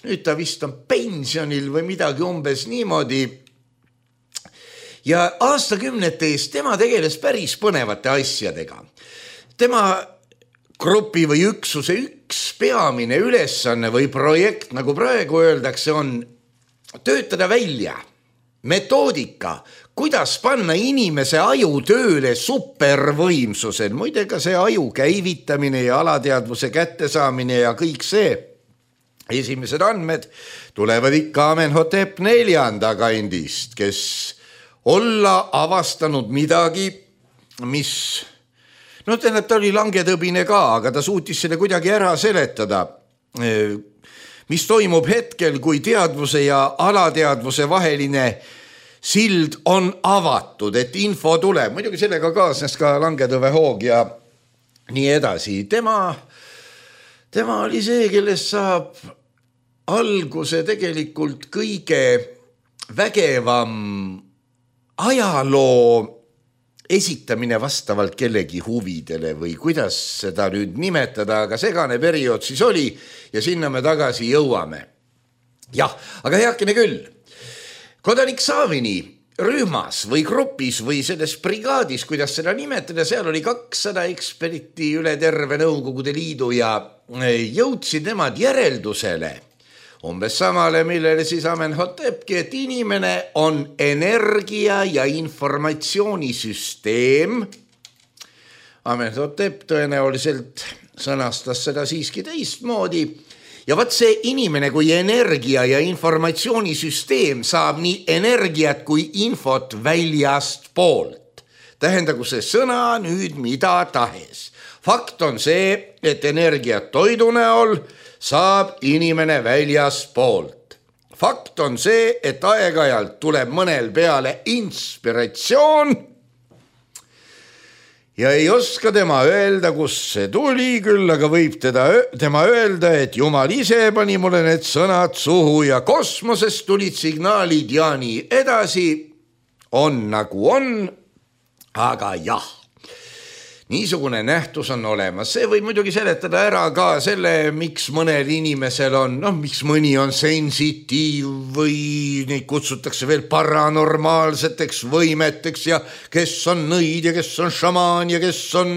Nüüd ta vist on pensionil või midagi umbes niimoodi. Ja aastakümnete eest tema tegeles päris põnevate asjadega. Tema grupi või üksuse üks peamine ülesanne või projekt, nagu praegu öeldakse, on töötada välja metoodika, kuidas panna inimese aju tööle supervõimsusel. Muide ka see aju käivitamine ja alateadvuse kättesaamine ja kõik see. Esimesed andmed tulevad ikka Amenhotep neljanda kandist, kes olla avastanud midagi, mis, no tähendab, ta oli langetõbine ka, aga ta suutis selle kuidagi ära seletada, mis toimub hetkel, kui teadvuse ja alateadvuse vaheline sild on avatud, et info tuleb. Muidugi sellega kaasnes ka langetõve hoog ja nii edasi. Tema, tema oli see, kellest saab alguse tegelikult kõige vägevam ajaloo esitamine vastavalt kellegi huvidele või kuidas seda nüüd nimetada, aga segane periood siis oli ja sinna me tagasi jõuame. Jah, aga heakene küll. Kodanik Savini rühmas või grupis või selles brigaadis, kuidas seda nimetada, seal oli kakssada eksperti üle terve Nõukogude Liidu ja jõudsid nemad järeldusele umbes samale, millele siis Amenhotepki, et inimene on energia ja informatsioonisüsteem. Amenhotep tõenäoliselt sõnastas seda siiski teistmoodi. Ja vaat see inimene kui energia ja informatsioonisüsteem saab nii energiat kui infot väljast poolt. Tähendagu see sõna nüüd mida tahes. Fakt on see, et energiat toidu näol saab inimene väljas poolt. Fakt on see, et aeg-ajalt tuleb mõnel peale inspiratsioon ja ei oska tema öelda, kus see tuli, küll aga võib teda, tema öelda, et Jumal ise pani mulle need sõnad suhu ja kosmosest tulid signaalid ja nii edasi. On nagu on, aga jah. Niisugune nähtus on olemas. See võib muidugi seletada ära ka selle, miks mõnel inimesel on, noh, miks mõni on sensitiiv või neid kutsutakse veel paranormaalseteks võimeteks ja kes on nõid ja kes on šamaan ja kes on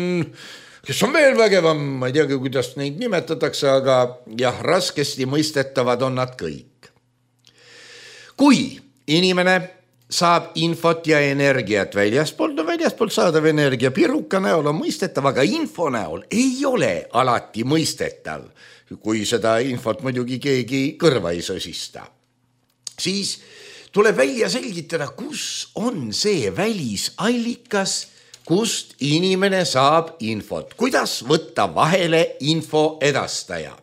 kes on veel vägevam, ma ei teagi, kuidas neid nimetatakse, aga jah, raskesti mõistetavad on nad kõik. Kui inimene saab infot ja energiat väljaspoolt, no väljaspoolt saadav energia piruka näol on mõistetav, aga info näol ei ole alati mõistetav, kui seda infot muidugi keegi kõrva ei sõsista. Siis tuleb välja selgitada, kus on see välisallikas, kust inimene saab infot, kuidas võtta vahele info edastaja.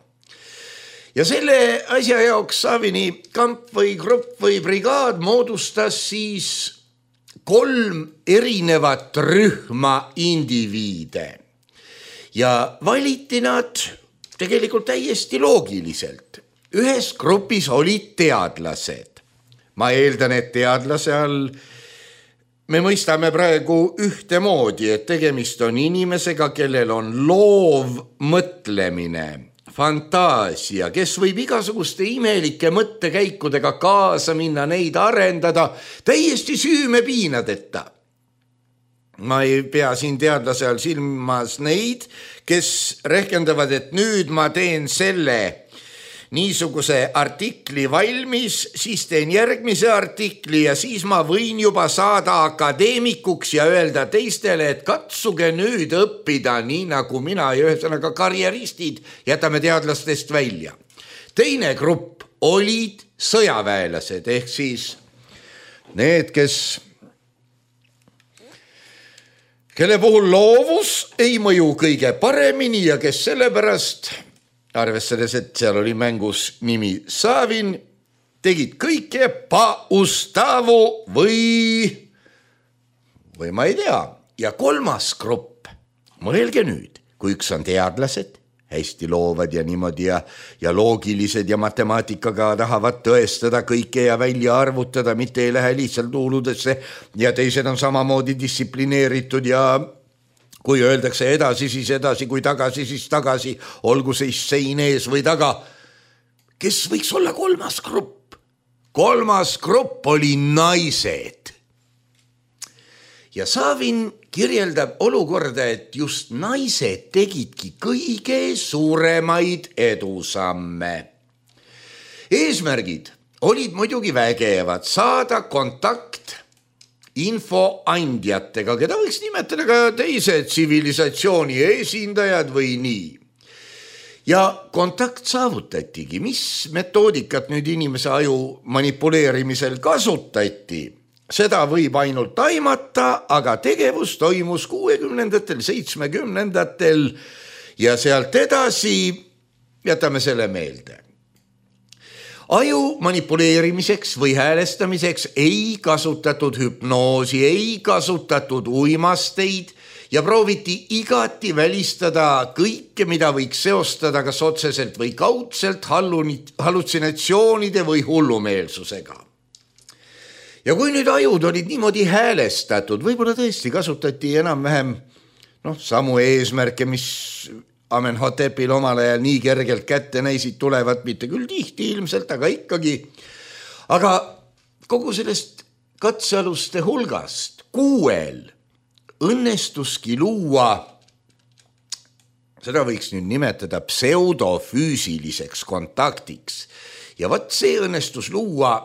Ja selle asja jaoks Savini kamp või grupp või brigaad moodustas siis kolm erinevat rühma indiviide. Ja valiti nad tegelikult täiesti loogiliselt. Ühes grupis olid teadlased. Ma eeldan, et teadlase all me mõistame praegu ühtemoodi, et tegemist on inimesega, kellel on loov mõtlemine, fantaasia, kes võib igasuguste imelike mõttekäikudega kaasa minna, neid arendada täiesti süümepiinadeta. Ma ei pea siin teadlase all silmas neid, kes rehkendavad, et nüüd ma teen selle niisuguse artikli valmis, siis teen järgmise artikli ja siis ma võin juba saada akadeemikuks ja öelda teistele, et katsuge nüüd õppida nii nagu mina ja ühesõnaga karjeristid jätame teadlastest välja. Teine grupp olid sõjaväelased ehk siis need, kes, kelle puhul loovus ei mõju kõige paremini ja kes sellepärast arvestades, et seal oli mängus nimi Savin, tegid kõike pa ustavu või, või ma ei tea. Ja kolmas grupp, mõelge nüüd, kui üks on teadlased, hästi loovad ja niimoodi ja, ja loogilised ja matemaatikaga tahavad tõestada kõike ja välja arvutada, mitte ei lähe lihtsalt huuludesse ja teised on samamoodi distsiplineeritud ja kui öeldakse edasi, siis edasi, kui tagasi, siis tagasi, olgu siis sein ees või taga. Kes võiks olla kolmas grupp? Kolmas grupp oli naised. Ja Savin kirjeldab olukorda, et just naised tegidki kõige suuremaid edusamme. Eesmärgid olid muidugi vägevad, saada kontakt infoandjatega, keda võiks nimetada ka teise tsivilisatsiooni esindajad või nii. Ja kontakt saavutatigi, mis metoodikat nüüd inimese aju manipuleerimisel kasutati, seda võib ainult aimata, aga tegevus toimus kuuekümnendatel, seitsmekümnendatel ja sealt edasi jätame selle meelde. Aju manipuleerimiseks või häälestamiseks ei kasutatud hüpnoosi, ei kasutatud uimasteid ja prooviti igati välistada kõike, mida võiks seostada kas otseselt või kaudselt hallutsinatsioonide või hullumeelsusega. Ja kui nüüd ajud olid niimoodi häälestatud, võib-olla tõesti kasutati enam-vähem noh, samu eesmärke, mis Amenhotepil omal ajal nii kergelt kätte näisid tulevad, mitte küll tihti ilmselt, aga ikkagi. Aga kogu sellest katsealuste hulgast kuuel õnnestuski luua, seda võiks nüüd nimetada pseudofüüsiliseks kontaktiks. Ja võt see õnnestus luua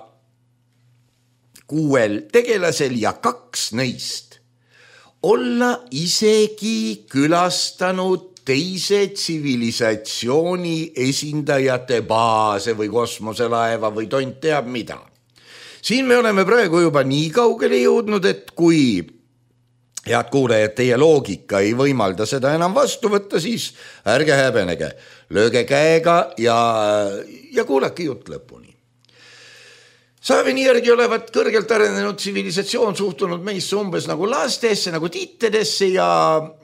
kuuel tegelasel ja kaks neist olla isegi külastanud teise tsivilisatsiooni esindajate baase või kosmoselaeva või tont teab mida. Siin me oleme praegu juba nii kaugele jõudnud, et kui head kuulajad, teie loogika ei võimalda seda enam vastu võtta, siis ärge häbenege, lööge käega ja, ja kuulake jutt lõpuni. Savini järgi olevat kõrgelt arenenud tsivilisatsioon suhtunud meisse umbes nagu lastesse, nagu tittedesse ja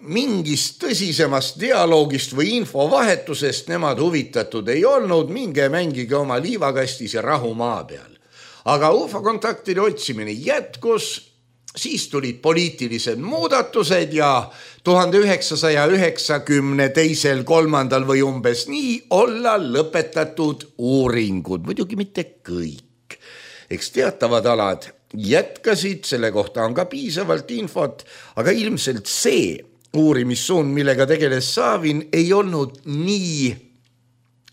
mingist tõsisemast dialoogist või infovahetusest nemad huvitatud ei olnud, minge mängige oma liivakastis ja rahu maa peal. Aga U F O-kontaktide otsimine jätkus, siis tulid poliitilised muudatused ja tuhande üheksasaja üheksakümne teisel, kolmandal või umbes nii olla lõpetatud uuringud, muidugi mitte kõik. Eks teatavad alad jätkasid, selle kohta on ka piisavalt infot, aga ilmselt see, uurimissuund, millega tegeles Savin, ei olnud nii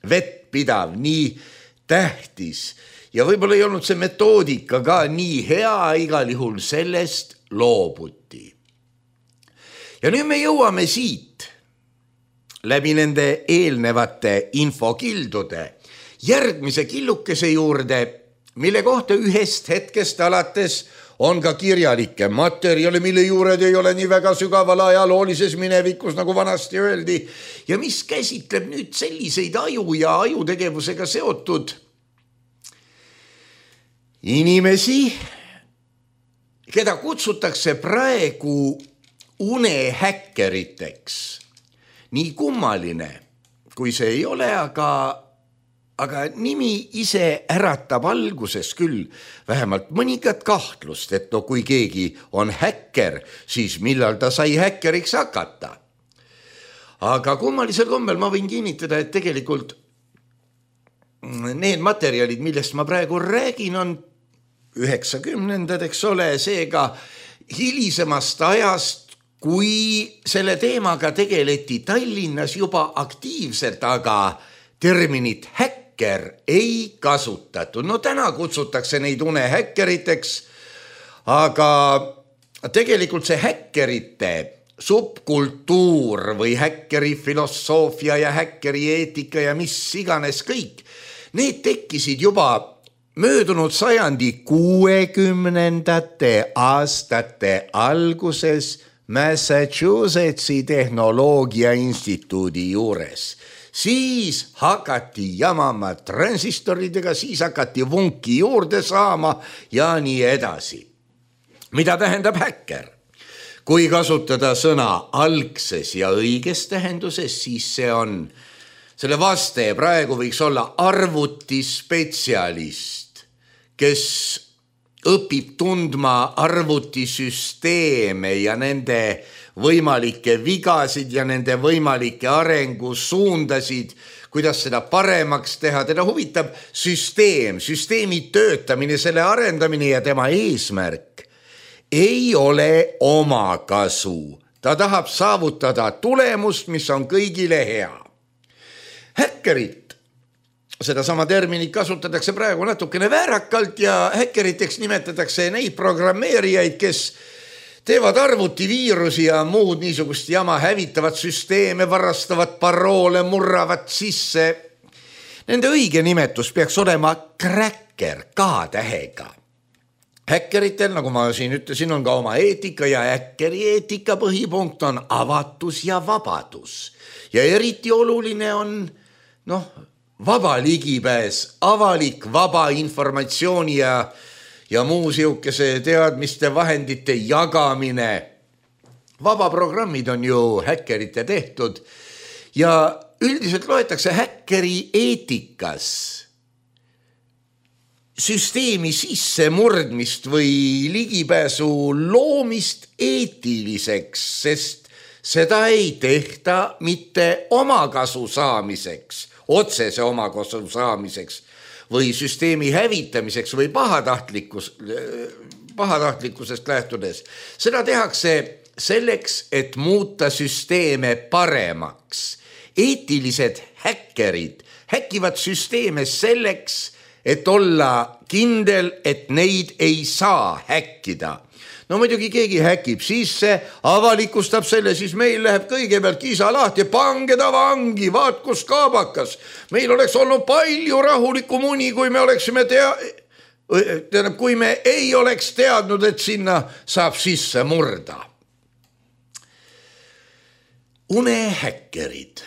vettpidav, nii tähtis ja võib-olla ei olnud see metoodika ka nii hea, igal juhul sellest loobuti. Ja nüüd me jõuame siit läbi nende eelnevate infokildude järgmise killukese juurde, mille kohta ühest hetkest alates on ka kirjalikke materjale, mille juured ei ole nii väga sügaval ajaloolises minevikus, nagu vanasti öeldi, ja mis käsitleb nüüd selliseid aju ja ajutegevusega seotud inimesi, keda kutsutakse praegu unehäkkeriteks. Nii kummaline, kui see ei ole, aga Aga nimi ise äratab alguses küll vähemalt mõningat kahtlust, et no kui keegi on häkker, siis millal ta sai häkkeriks hakata. Aga kummalisel kombel ma võin kinnitada, et tegelikult need materjalid, millest ma praegu räägin, on üheksakümnendad, eks ole, seega hilisemast ajast, kui selle teemaga tegeleti Tallinnas juba aktiivselt, aga terminit häkker ei kasutatud. No täna kutsutakse neid unehäkkeriteks, aga tegelikult see häkkerite subkultuur või häkkeri filosoofia ja häkkeri eetika ja mis iganes kõik, need tekkisid juba möödunud sajandi kuuekümnendate aastate alguses Massachusettsi tehnoloogia instituudi juures. Siis hakati jamama transistoridega, siis hakati vunki juurde saama ja nii edasi. Mida tähendab häkker? Kui kasutada sõna algses ja õiges tähenduses, siis see on, selle vaste praegu võiks olla arvutispetsialist, kes õpib tundma arvutisüsteeme ja nende võimalikke vigasid ja nende võimalikke arengusuundasid, kuidas seda paremaks teha. Teda huvitab süsteem, süsteemi töötamine, selle arendamine ja tema eesmärk ei ole oma kasu. Ta tahab saavutada tulemust, mis on kõigile hea. Häkkerit, seda sama terminit kasutatakse praegu natukene väärakalt ja häkkeriteks nimetatakse neid programmeerijaid, kes teevad arvutiviirusi ja muud niisugust jama, hävitavad süsteeme, varastavad paroole, murravad sisse. Nende õige nimetus peaks olema cracker, K-tähega. Häkkeritel, nagu ma siin ütlesin, on ka oma eetika ja häkkeri eetika põhipunkt on avatus ja vabadus. Ja eriti oluline on noh, vaba ligipääs, avalik vaba informatsiooni ja ja muu siukese teadmiste vahendite jagamine. Vabaprogrammid on ju häkkerite tehtud ja üldiselt loetakse häkkeri eetikas süsteemi sisse murdmist või ligipääsu loomist eetiliseks, sest seda ei tehta mitte omakasu saamiseks, otsese omakasu saamiseks, või süsteemi hävitamiseks või pahatahtlikkus, pahatahtlikkusest lähtudes. Seda tehakse selleks, et muuta süsteeme paremaks. Eetilised häkkerid häkivad süsteeme selleks, et olla kindel, et neid ei saa häkkida. No muidugi keegi häkib sisse, avalikustab selle, siis meil läheb kõigepealt kisa lahti, pange ta vangi, vaat kus kaabakas. Meil oleks olnud palju rahulikku muni, kui me oleksime tea... Tähendab, kui me ei oleks teadnud, et sinna saab sisse murda. Unehäkkerid.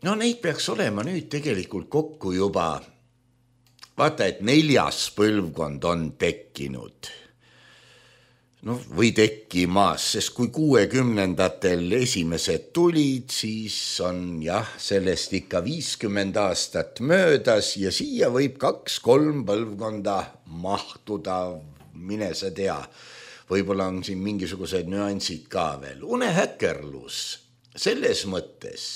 No neid peaks olema nüüd tegelikult kokku juba. Vaata, et neljas põlvkond on tekkinud. No, või tekkimas, sest kui kuuekümnendatel esimesed tulid, siis on jah, sellest ikka viiskümmend aastat möödas ja siia võib kaks-kolm põlvkonda mahtuda, mine sa tea. Võib-olla on siin mingisugused nüansid ka veel. Unehäkkerlus selles mõttes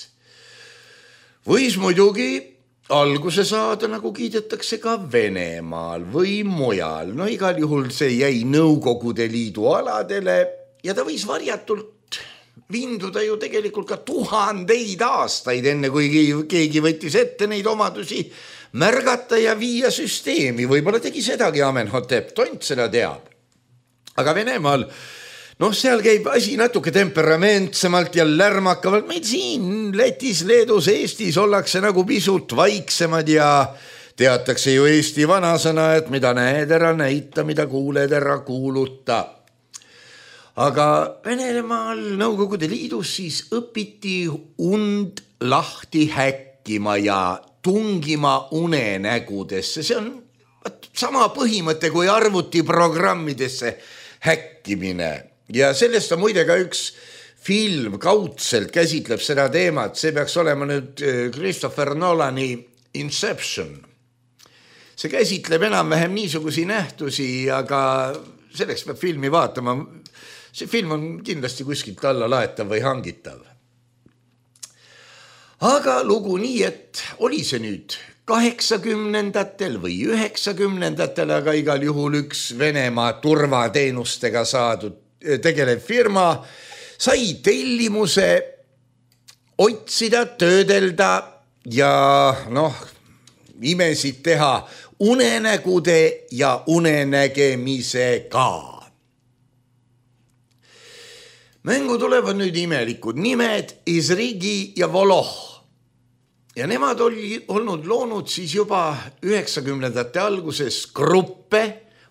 võis muidugi alguse saada, nagu kiidetakse ka Venemaal või mujal. No igal juhul see jäi Nõukogude Liidu aladele ja ta võis varjatult vinduda ju tegelikult ka tuhandeid aastaid, enne kui keegi võttis ette neid omadusi märgata ja viia süsteemi. Võib-olla tegi sedagi Amenhotep, tont seda teab. Aga Venemaal, noh, seal käib asi natuke temperamentsemalt ja lärmakavalt. Meid siin Lätis, Leedus, Eestis ollakse nagu pisut vaiksemad ja teatakse ju Eesti vanasõna, et mida näed ära näita, mida kuuled ära kuuluta. Aga Venemaal Nõukogude Liidus siis õpiti und lahti häkkima ja tungima unenägudesse. See on sama põhimõte kui arvutiprogrammidesse häkkimine. Ja sellest on muide ka üks film kaudselt käsitleb seda teemat. See peaks olema nüüd Christopher Nolani Inception. See käsitleb enam-vähem niisugusi nähtusi, aga selleks peab filmi vaatama. See film on kindlasti kuskilt alla laetav või hangitav. Aga lugu nii, et oli see nüüd kaheksakümnendatel või üheksakümnendatel, aga igal juhul üks Venemaa turvateenustega saadud tegelev firma sai tellimuse otsida, töödelda ja noh, imesid teha unenägude ja unenägemisega. Mängu tulevad nüüd imelikud nimed Izrigi ja Voloh. Ja nemad oli olnud loonud siis juba üheksakümnendate alguses gruppe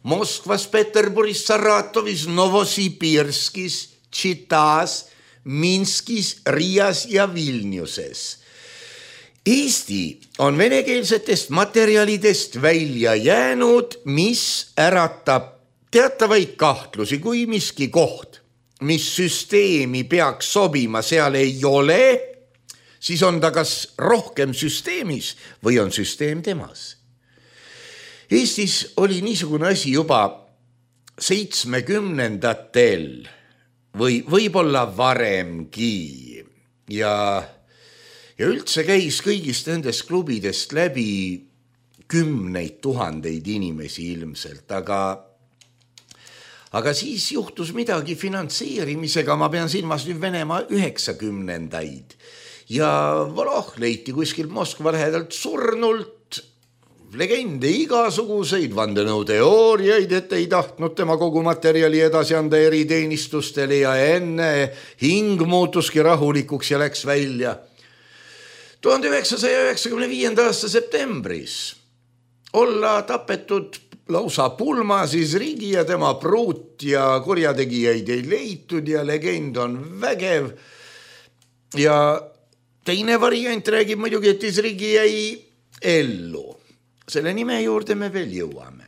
Moskvas, Peterburis, Saratovis, Novosibirskis, Tšitas, Minskis, Riias ja Vilniuses. Eesti on venekeelsetest materjalidest välja jäänud, mis äratab teatavaid kahtlusi, kui miski koht, mis süsteemi peaks sobima, seal ei ole, siis on ta kas rohkem süsteemis või on süsteem temas. Eestis oli niisugune asi juba seitsmekümnendatel või võib-olla varemgi ja, ja üldse käis kõigist nendest klubidest läbi kümneid tuhandeid inimesi ilmselt, aga Aga siis juhtus midagi finantseerimisega, ma pean silmas nüüd Venemaa üheksakümnendaid. Ja Voloh leiti kuskilt Moskva lähedalt surnult, legende igasuguseid, vandenõuteooriaid, et ei tahtnud tema kogu materjali edasi anda eriteenistustele ja enne hing muutuski rahulikuks ja läks välja. tuhande üheksasaja üheksakümne viienda aasta septembris olla tapetud lausa pulma siis Rigi ja tema pruut ja kurjategijaid ei leitud ja legend on vägev. Ja teine variant räägib muidugi, et Rigi jäi ellu. Selle nime juurde me veel jõuame.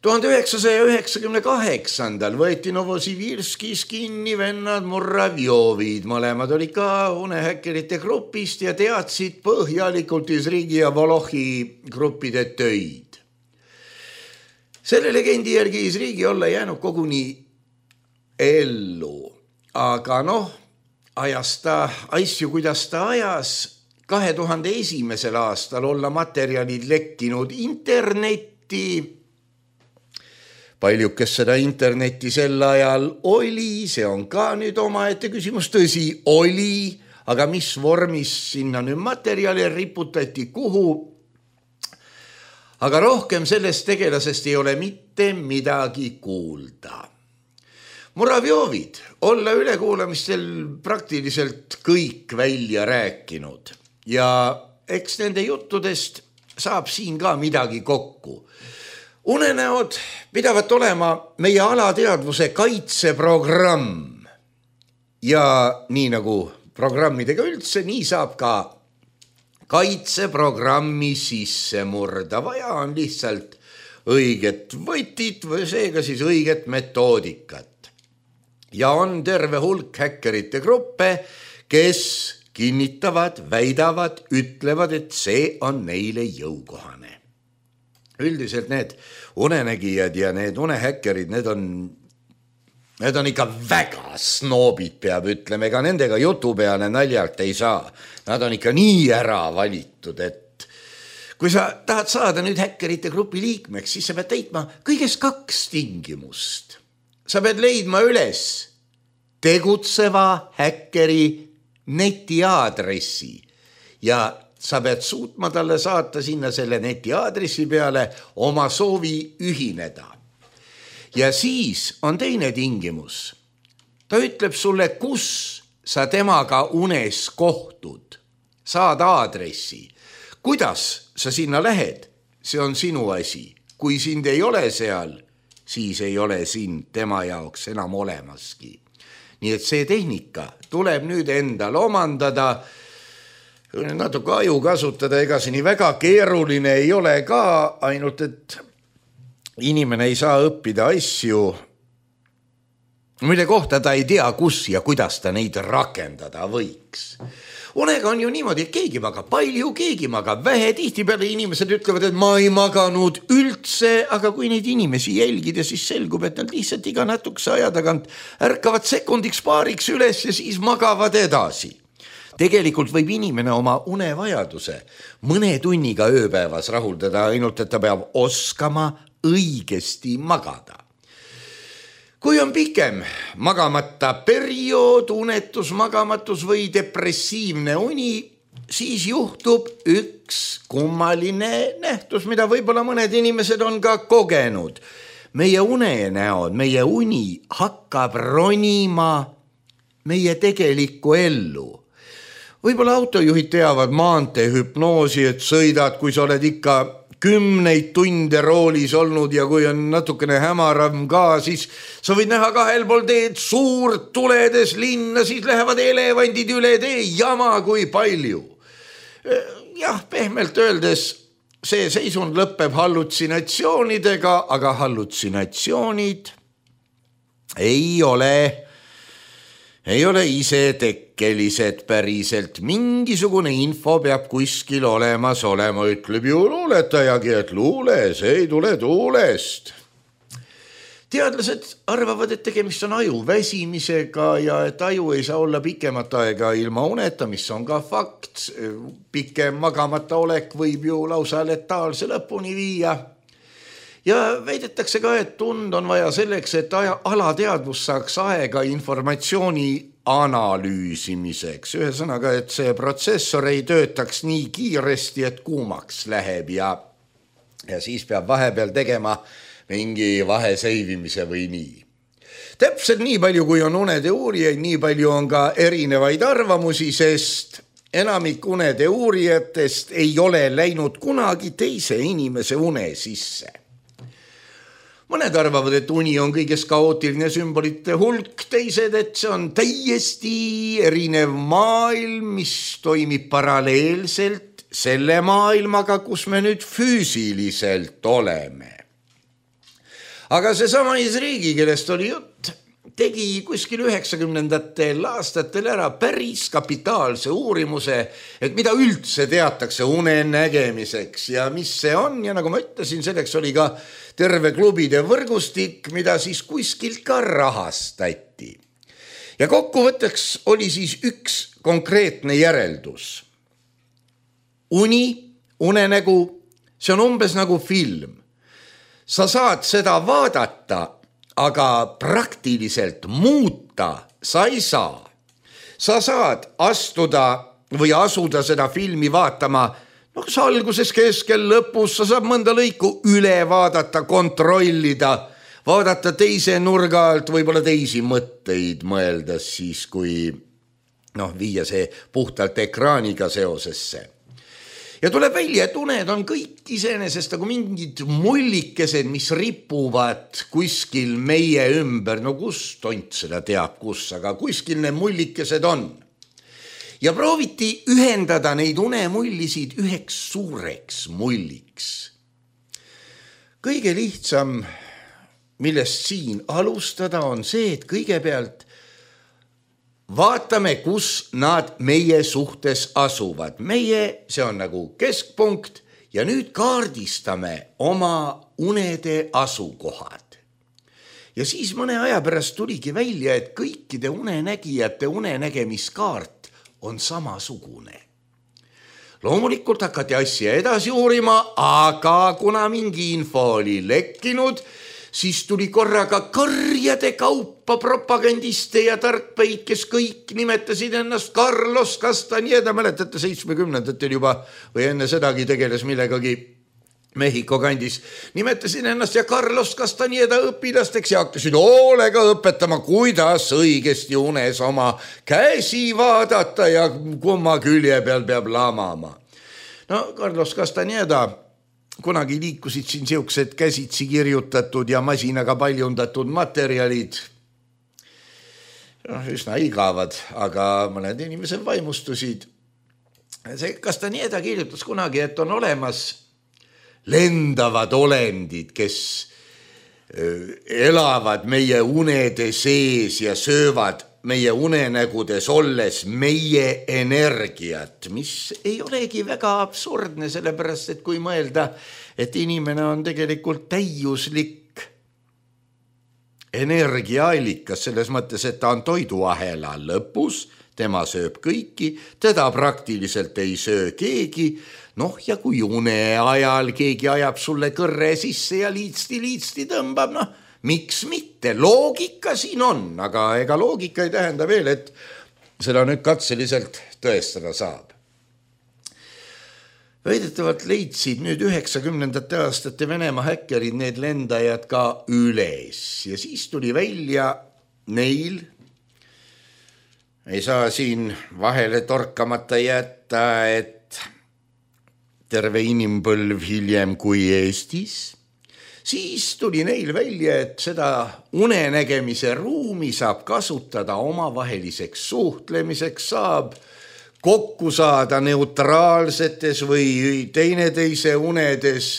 tuhande üheksasaja üheksakümne kaheksandal võeti Novosibirskis kinni vennad Muravjovid. Mõlemad olid ka unehäkkerite grupist ja teadsid põhjalikult Rigi ja Volohi gruppide töid. Selle legendi järgi Rigi olla jäänud koguni ellu, aga noh, ajas ta asju, kuidas ta ajas. kahe tuhande esimesel aastal olla materjalid lekkinud internetti. Palju, kes seda internetti sel ajal oli, see on ka nüüd omaette küsimus, tõsi oli, aga mis vormis sinna nüüd materjali riputati, kuhu? Aga rohkem sellest tegelasest ei ole mitte midagi kuulda. Muravjovid olla ülekuulamistel praktiliselt kõik välja rääkinud ja eks nende juttudest saab siin ka midagi kokku. Unenäod pidavat olema meie alateadvuse kaitseprogramm ja nii nagu programmidega üldse, nii saab ka kaitseprogrammi sisse murda. Vaja on lihtsalt õiget võtit või seega siis õiget metoodikat. Ja on terve hulk häkkerite gruppe, kes kinnitavad, väidavad, ütlevad, et see on neile jõukohane. Üldiselt need unenägijad ja need unehäkkerid, need on, need on ikka väga snoobid, peab ütlema, ega nendega jutu peale naljalt ei saa. Nad on ikka nii ära valitud, et kui sa tahad saada nüüd häkkerite grupi liikmeks, siis sa pead täitma kõigest kaks tingimust. Sa pead leidma üles tegutseva häkkeri netiaadressi ja sa pead suutma talle saata sinna selle netiaadressi peale oma soovi ühineda. Ja siis on teine tingimus. Ta ütleb sulle, kus sa temaga unes kohtud. Saad aadressi. Kuidas sa sinna lähed? See on sinu asi. Kui sind ei ole seal, siis ei ole sind tema jaoks enam olemaski. Nii et see tehnika tuleb nüüd endal omandada, natuke aju kasutada, ega see nii väga keeruline ei ole ka, ainult et inimene ei saa õppida asju, mille kohta ta ei tea, kus ja kuidas ta neid rakendada võiks. Unega on ju niimoodi, et keegi magab palju, keegi magab vähe, tihtipeale inimesed ütlevad, et ma ei maganud üldse, aga kui neid inimesi jälgida, siis selgub, et nad lihtsalt iga natukese aja tagant ärkavad sekundiks paariks üles ja siis magavad edasi. Tegelikult võib inimene oma unevajaduse mõne tunniga ööpäevas rahuldada, ainult et ta peab oskama õigesti magada. Kui on pikem magamata periood, unetus, magamatus või depressiivne uni, siis juhtub üks kummaline nähtus, mida võib-olla mõned inimesed on ka kogenud. Meie unenäod, meie uni hakkab ronima meie tegelikku ellu. Võib-olla autojuhid teavad maanteehüpnoosi, et sõidad, kui sa oled ikka kümneid tunde roolis olnud ja kui on natukene hämaram ka, siis sa võid näha kahel pool teed suurt tuledes linna, siis lähevad elevandid üle tee, jama kui palju. Jah, pehmelt öeldes see seisund lõpeb hallutsinatsioonidega, aga hallutsinatsioonid ei ole ei ole ise tekkelised päriselt. Mingisugune info peab kuskil olemas olema, ütleb ju luuletajagi, et luule, see ei tule tuulest. Teadlased arvavad, et tegemist on aju väsimisega ja et aju ei saa olla pikemat aega ilma uneta, mis on ka fakt. Pikem magamata olek võib ju lausa letaalse lõpuni viia. Ja väidetakse ka, et tund on vaja selleks, et alateadvus saaks aega informatsiooni analüüsimiseks. Ühesõnaga, et see protsessor ei töötaks nii kiiresti, et kuumaks läheb ja, ja siis peab vahepeal tegema mingi vaheseivimise või nii. Täpselt nii palju, kui on unede uurijaid, nii palju on ka erinevaid arvamusi, sest enamik unede uurijatest ei ole läinud kunagi teise inimese une sisse. Mõned arvavad, et uni on kõigest kaootiline sümbolite hulk, teised, et see on täiesti erinev maailm, mis toimib paralleelselt selle maailmaga, kus me nüüd füüsiliselt oleme. Aga see sama Isriigi, kellest oli jutt, tegi kuskil üheksakümnendatel aastatel ära päris kapitaalse uurimuse, et mida üldse teatakse une nägemiseks ja mis see on. Ja nagu ma ütlesin, selleks oli ka terve klubide võrgustik, mida siis kuskilt ka rahastati. Ja kokkuvõtteks oli siis üks konkreetne järeldus. Uni, unenägu, see on umbes nagu film. Sa saad seda vaadata, aga praktiliselt muuta sa ei saa. Sa saad astuda või asuda seda filmi vaatama, no kas alguses, keskel, lõpus, sa saad mõnda lõiku üle vaadata, kontrollida, vaadata teise nurga alt, võib-olla teisi mõtteid mõelda siis, kui noh, viia see puhtalt ekraaniga seosesse. Ja tuleb välja, et uned on kõik iseenesest nagu mingid mullikesed, mis ripuvad kuskil meie ümber. No kus tont seda teab, kus, aga kuskil need mullikesed on. Ja prooviti ühendada neid unemullisid üheks suureks mulliks. Kõige lihtsam, millest siin alustada, on see, et kõigepealt vaatame, kus nad meie suhtes asuvad. Meie, see on nagu keskpunkt ja nüüd kaardistame oma unede asukohad. Ja siis mõne aja pärast tuligi välja, et kõikide unenägijate unenägemiskaart on samasugune. Loomulikult hakati asja edasi uurima, aga kuna mingi info oli lekkinud, siis tuli korraga kõrjade kaupa propagandiste ja tarkpeid, kes kõik nimetasid ennast Carlos Castaneda, mäletate seitsmekümnendatel juba või enne sedagi tegeles millegagi Mehhiko kandis, nimetasid ennast ja Carlos Castaneda õpilasteks ja hakkasid hoolega õpetama, kuidas õigesti unes oma käsi vaadata ja kumma külje peal peab lamama. No Carlos Castaneda kunagi liikusid siin siuksed käsitsi kirjutatud ja masinaga paljundatud materjalid. No, üsna igavad, aga mõned inimesed vaimustusid. See Castaneda kirjutas kunagi, et on olemas lendavad olendid, kes elavad meie unede sees ja söövad meie unenägudes olles meie energiat, mis ei olegi väga absurdne, sellepärast, et kui mõelda, et inimene on tegelikult täiuslik energiaallikas, selles mõttes, et ta on toiduahela lõpus, tema sööb kõiki, teda praktiliselt ei söö keegi, noh ja kui une ajal keegi ajab sulle kõrre sisse ja liitsti-liitsti tõmbab, noh, miks mitte? Loogika siin on, aga ega loogika ei tähenda veel, et seda nüüd katseliselt tõestada saab. Väidetavalt leidsid nüüd üheksakümnendate aastate Venemaa häkkerid need lendajad ka üles ja siis tuli välja neil, ei saa siin vahele torkamata jätta, et terve inimpõlv hiljem kui Eestis, siis tuli neil välja, et seda unenägemise ruumi saab kasutada omavaheliseks suhtlemiseks, saab kokku saada neutraalsetes või teineteise unedes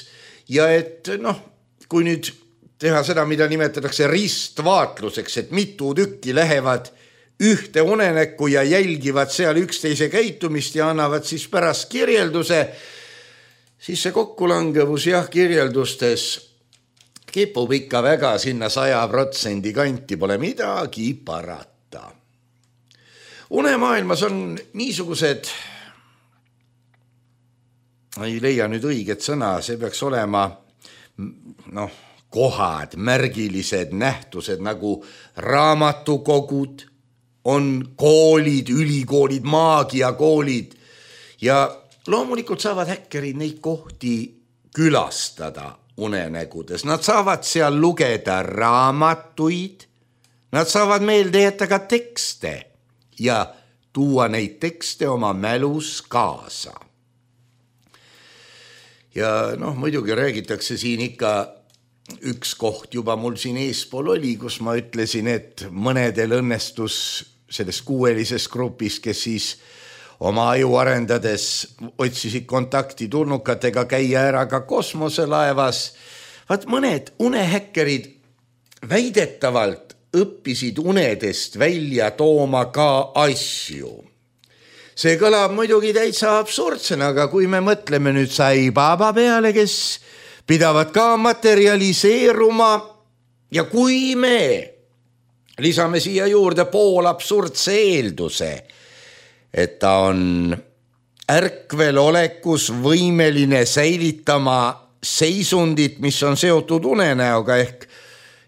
ja et noh, kui nüüd teha seda, mida nimetatakse ristvaatluseks, et mitu tükki lähevad ühte unenäkku ja jälgivad seal üksteise käitumist ja annavad siis pärast kirjelduse, siis see kokkulangevus jah kirjeldustes kipub ikka väga sinna saja protsendi kanti, pole midagi parata. Unemaailmas on niisugused, ei leia nüüd õiget sõna, see peaks olema noh, kohad, märgilised nähtused nagu raamatukogud, on koolid, ülikoolid, maagiakoolid ja loomulikult saavad häkkerid neid kohti külastada unenägudes. Nad saavad seal lugeda raamatuid, nad saavad meelde jätta ka tekste ja tuua neid tekste oma mälus kaasa. Ja noh, muidugi räägitakse siin ikka üks koht juba mul siin eespool oli, kus ma ütlesin, et mõnedel õnnestus selles kuuelises grupis, kes siis oma aju arendades otsisid kontakti tulnukatega käia ära ka kosmoselaevas. Vaat mõned unehäkkerid väidetavalt õppisid unedest välja tooma ka asju. See kõlab muidugi täitsa absurdsena, aga kui me mõtleme nüüd Sai Baba peale, kes pidavad ka materialiseeruma ja kui me lisame siia juurde pool absurdse eelduse, et ta on ärkvel olekus võimeline säilitama seisundit, mis on seotud unenäoga ehk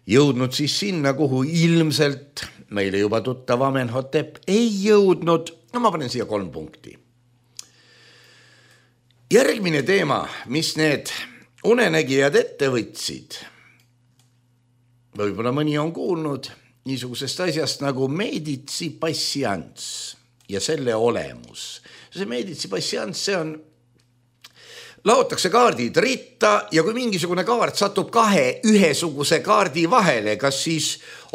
jõudnud siis sinna, kuhu ilmselt meile juba tuttav Amenhotep ei jõudnud. No ma panen siia kolm punkti. Järgmine teema, mis need unenägijad ette võtsid, võib-olla mõni on kuulnud niisugusest asjast nagu medici passians ja selle olemus. See medici passians, see on, laotakse kaardid ritta ja kui mingisugune kaart satub kahe ühesuguse kaardi vahele, kas siis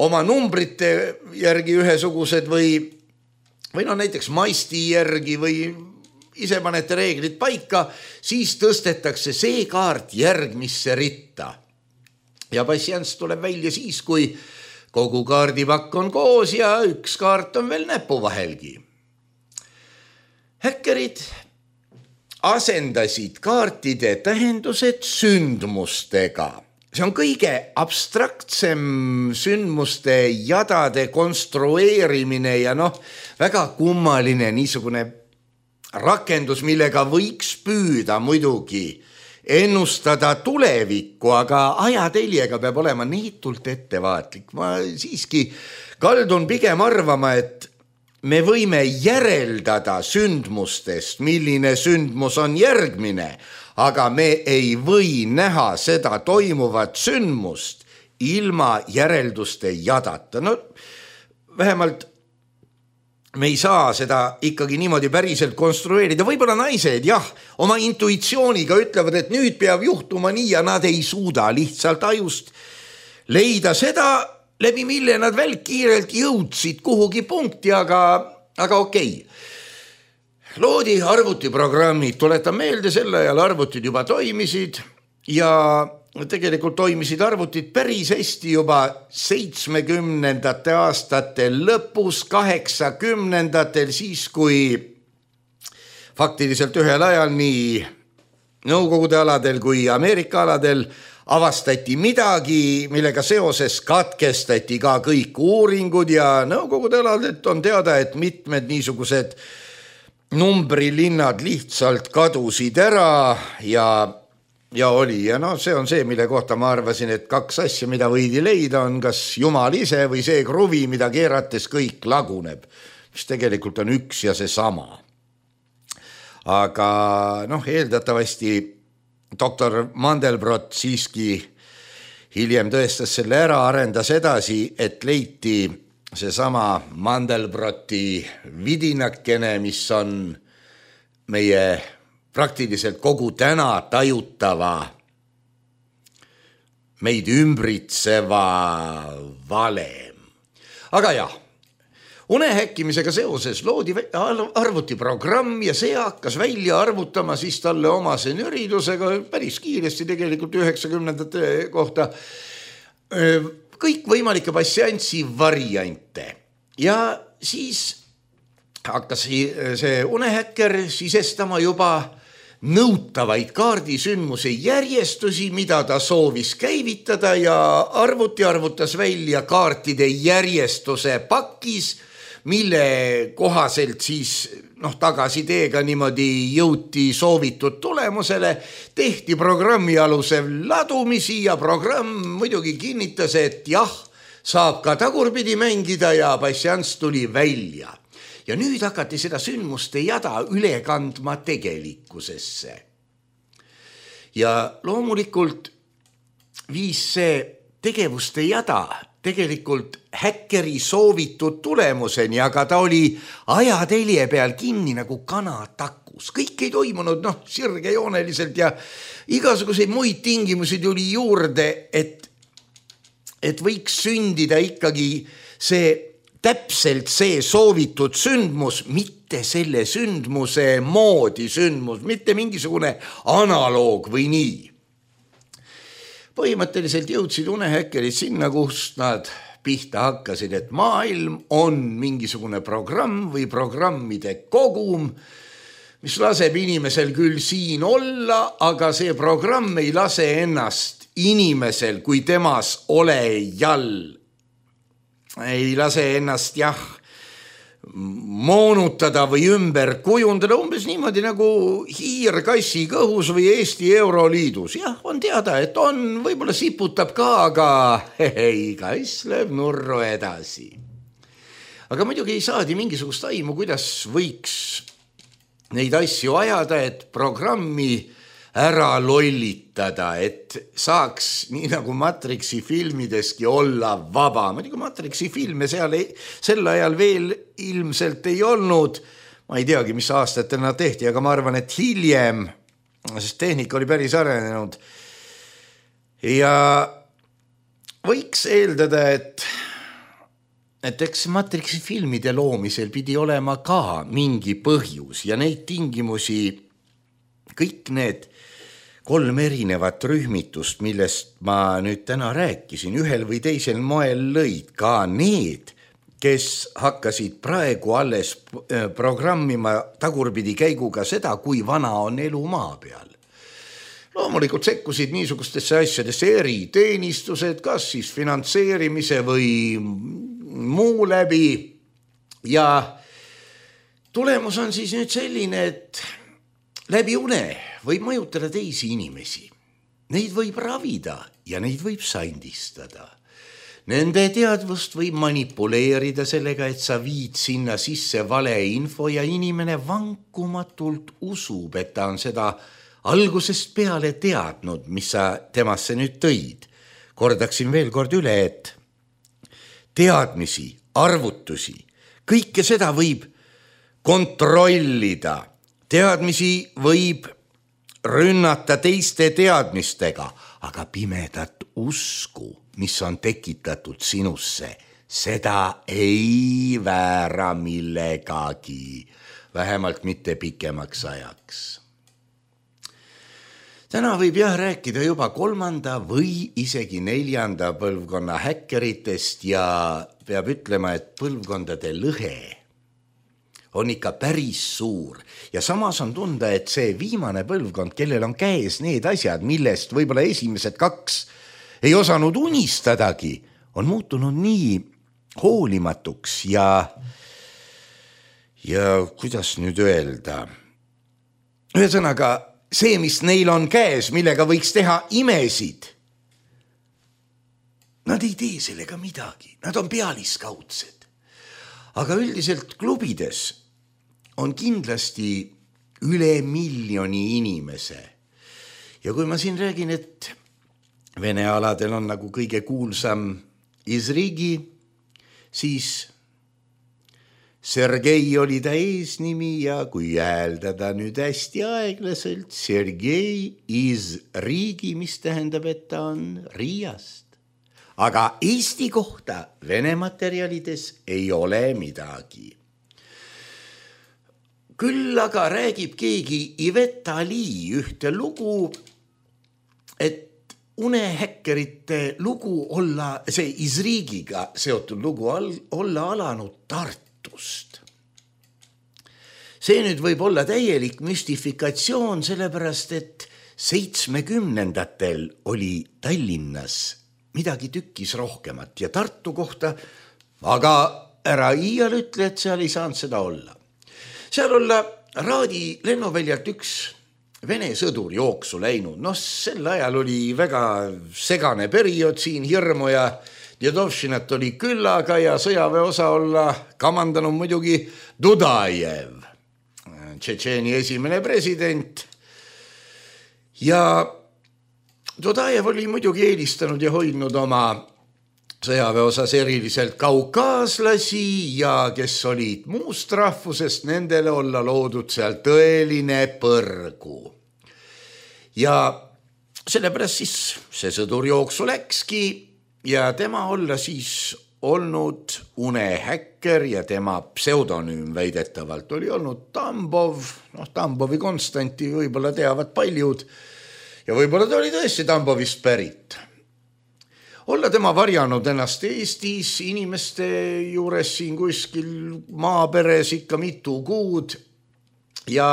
oma numbrite järgi ühesugused või, või no näiteks maisti järgi või ise panete reeglid paika, siis tõstetakse see kaart järgmisse ritta. Ja passians tuleb välja siis, kui kogu kaardipakk on koos ja üks kaart on veel näpu vahelgi. Häkkerid asendasid kaartide tähendused sündmustega. See on kõige abstraktsem sündmuste jadade konstrueerimine ja noh, väga kummaline niisugune rakendus, millega võiks püüda muidugi ennustada tulevikku, aga ajateljega peab olema niitult ettevaatlik. Ma siiski kaldun pigem arvama, et me võime järeldada sündmustest, milline sündmus on järgmine, aga me ei või näha seda toimuvat sündmust ilma järelduste jadata. No vähemalt me ei saa seda ikkagi niimoodi päriselt konstrueerida. Võib-olla naised, jah, oma intuitsiooniga ütlevad, et nüüd peab juhtuma nii ja nad ei suuda lihtsalt ajust leida seda, läbi mille nad välkkiirelt jõudsid kuhugi punkti, aga, aga okei. Loodi arvutiprogrammid, tuletan meelde, selle ajal arvutid juba toimisid ja tegelikult toimisid arvutid päris hästi juba seitsmekümnendate aastate lõpus, kaheksakümnendatel, siis kui faktiliselt ühel ajal nii Nõukogude aladel kui Ameerika aladel avastati midagi, millega seoses katkestati ka kõik uuringud ja Nõukogude aladelt on teada, et mitmed niisugused numbrilinnad lihtsalt kadusid ära ja Ja oli, ja no see on see, mille kohta ma arvasin, et kaks asja, mida võidi leida, on kas jumal ise või see kruvi, mida keerates kõik laguneb, mis tegelikult on üks ja see sama. Aga noh, eeldatavasti doktor Mandelbrot siiski hiljem tõestas selle ära, arendas edasi, et leiti see sama Mandelbroti vidinakene, mis on meie praktiliselt kogu täna tajutava, meid ümbritseva valem. Aga jah, unehäkkimisega seoses loodi arvutiprogramm ja see hakkas välja arvutama siis talle omase nüridusega päris kiiresti tegelikult üheksakümnendate kohta kõik võimalike passiansi variante. Ja siis hakkas see unehäkker sisestama juba nõutavaid kaardisündmuse järjestusi, mida ta soovis käivitada ja arvuti arvutas välja kaartide järjestuse pakis, mille kohaselt siis noh, tagasi teega niimoodi jõuti soovitud tulemusele, tehti programmi alusel ladumisi ja programm muidugi kinnitas, et jah, saab ka tagurpidi mängida ja passians tuli välja. Ja nüüd hakati seda sündmuste jada üle kandma tegelikkusesse. Ja loomulikult viis see tegevuste jada tegelikult häkkeri soovitud tulemuseni, aga ta oli ajatelje peal kinni nagu kanatakus. Kõik ei toimunud noh, sirgejooneliselt ja igasuguseid muid tingimusi tuli juurde, et, et võiks sündida ikkagi see täpselt see soovitud sündmus, mitte selle sündmuse moodi sündmus, mitte mingisugune analoog või nii. Põhimõtteliselt jõudsid unehäkkerid sinna, kust nad pihta hakkasid, et maailm on mingisugune programm või programmide kogum, mis laseb inimesel küll siin olla, aga see programm ei lase ennast inimesel kui temas olejal ei lase ennast jah moonutada või ümber kujundada umbes niimoodi nagu hiir kassi kõhus või Eesti Euroliidus. Jah, on teada, et on, võib-olla siputab ka, aga hei, kass lööb nurru edasi. Aga muidugi ei saadi mingisugust aimu, kuidas võiks neid asju ajada, et programmi ära lollitada, et saaks nii nagu Matrixi filmideski olla vaba. Muidugi Matrixi filme seal ei, sel ajal veel ilmselt ei olnud. Ma ei teagi, mis aastatel nad tehti, aga ma arvan, et hiljem, sest tehnika oli päris arenenud. Ja võiks eeldada, et, et eks Matrixi filmide loomisel pidi olema ka mingi põhjus ja neid tingimusi, kõik need kolm erinevat rühmitust, millest ma nüüd täna rääkisin, ühel või teisel moel lõid ka need, kes hakkasid praegu alles programmima tagurpidi käiguga seda, kui vana on elu maa peal. Loomulikult sekkusid niisugustesse asjadesse eriteenistused, kas siis finantseerimise või muu läbi ja tulemus on siis nüüd selline, et läbi une võib mõjutada teisi inimesi. Neid võib ravida ja neid võib sandistada. Nende teadvust võib manipuleerida sellega, et sa viid sinna sisse vale info ja inimene vankumatult usub, et ta on seda algusest peale teadnud, mis sa temasse nüüd tõid. Kordaksin veel kord üle, et teadmisi, arvutusi, kõike seda võib kontrollida. Teadmisi võib rünnata teiste teadmistega, aga pimedat usku, mis on tekitatud sinusse, seda ei väära millegagi, vähemalt mitte pikemaks ajaks. Täna võib jah rääkida juba kolmanda või isegi neljanda põlvkonna häkkeritest ja peab ütlema, et põlvkondade lõhe on ikka päris suur ja samas on tunda, et see viimane põlvkond, kellel on käes need asjad, millest võib-olla esimesed kaks ei osanud unistadagi, on muutunud nii hoolimatuks ja ja kuidas nüüd öelda, ühesõnaga see, mis neil on käes, millega võiks teha imesid, nad ei tee sellega midagi, nad on pealiskaudsed. Aga üldiselt klubides on kindlasti üle miljoni inimese. Ja kui ma siin räägin, et Vene aladel on nagu kõige kuulsam Izrigi, siis Sergei oli ta eesnimi ja kui hääldada nüüd hästi aeglaselt, Sergei Izrigi, mis tähendab, et ta on Riiast. Aga Eesti kohta Vene materjalides ei ole midagi. Küll aga räägib keegi Iveta Lee ühte lugu, et unehäkkerite lugu olla, see Izrigiga seotud lugu olla alanud Tartust. See nüüd võib olla täielik müstifikatsioon, sellepärast et seitsmekümnendatel oli Tallinnas midagi tükkis rohkemat ja Tartu kohta, aga ära iial ütle, et seal ei saanud seda olla. Seal olla Raadi lennuväljalt üks Vene sõdur jooksu läinud. No sel ajal oli väga segane periood siin, hirmu ja Djedovšinat oli küllaga ja sõjaväeosa olla kamandanud muidugi Dudajev, Tšetšeeni esimene president. Ja Dudajev oli muidugi eelistanud ja hoidnud oma sõjaväeosas eriliselt kaukaaslasi ja kes olid muust rahvusest, nendele olla loodud seal tõeline põrgu. Ja sellepärast siis see sõdur jooksu läkski ja tema olla siis olnud unehäkker ja tema pseudonüüm väidetavalt oli olnud Tambov, noh Tambovi Konstanti võib-olla teavad paljud ja võib-olla ta oli tõesti Tambovist pärit. Olla tema varjanud ennast Eestis inimeste juures siin kuskil maaperes ikka mitu kuud ja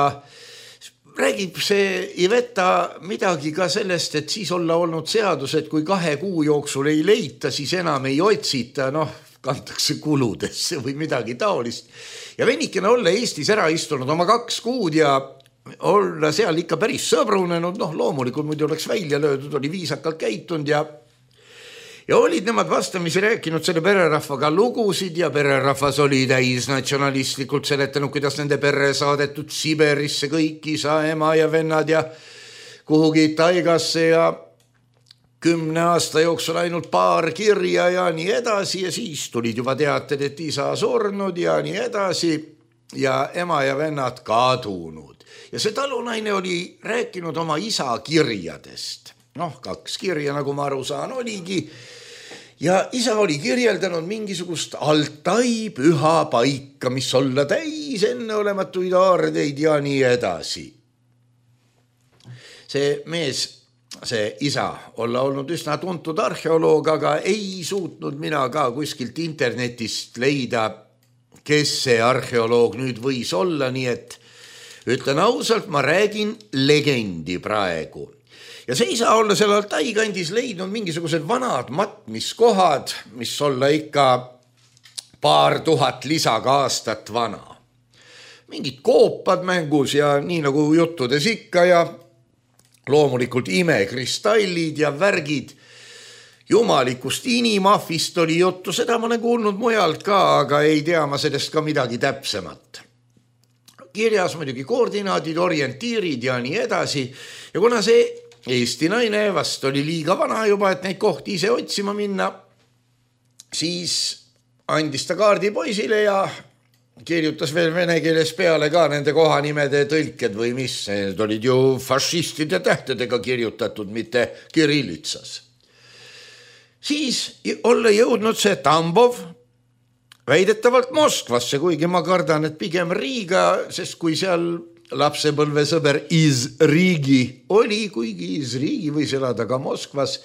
räägib see Iveta midagi ka sellest, et siis olla olnud seadus, et kui kahe kuu jooksul ei leita, siis enam ei otsita, noh, kantakse kuludesse või midagi taolist. Ja venikene olla Eestis ära istunud oma kaks kuud ja olla seal ikka päris sõbrunenud, noh, loomulikult muidu oleks välja löödud, oli viisakalt käitunud ja Ja olid nemad vastamisi rääkinud selle pererahvaga lugusid ja pererahvas oli täis natsionalistlikult seletanud, kuidas nende perre saadetud Siberisse kõik isa, ema ja vennad ja kuhugi taigasse ja kümne aasta jooksul ainult paar kirja ja nii edasi ja siis tulid juba teated, et isa surnud ja nii edasi ja ema ja vennad kadunud. Ja see talunaine oli rääkinud oma isa kirjadest. Noh, kaks kirja, nagu ma aru saan, oligi. Ja isa oli kirjeldanud mingisugust Altai püha paika, mis olla täis enneolematuid aardeid ja nii edasi. See mees, see isa, olla olnud üsna tuntud arheoloog, aga ei suutnud mina ka kuskilt internetist leida, kes see arheoloog nüüd võis olla, nii et ütlen ausalt, ma räägin legendi praegu. Ja see ei saa olla seal Altai kandis leidnud mingisugused vanad matmiskohad, mis olla ikka paar tuhat lisaga aastat vana. Mingid koopad mängus ja nii nagu juttudes ikka ja loomulikult imekristallid ja värgid. Jumalikust inimahvist oli juttu, seda ma olen kuulnud mujalt ka, aga ei tea ma sellest ka midagi täpsemat. Kirjas muidugi koordinaadid, orientiirid ja nii edasi. Ja kuna see Eesti naine vast oli liiga vana juba, et neid kohti ise otsima minna, siis andis ta kaardi poisile ja kirjutas veel vene keeles peale ka nende kohanimede tõlked või mis. Need olid ju fašistide tähtedega kirjutatud, mitte kirillitsas. Siis olla jõudnud see Tambov väidetavalt Moskvasse, kuigi ma kardan, et pigem Riiga, sest kui seal lapsepõlvesõber iz Riigi oli, kuigi iz Riigi võis elada ka Moskvas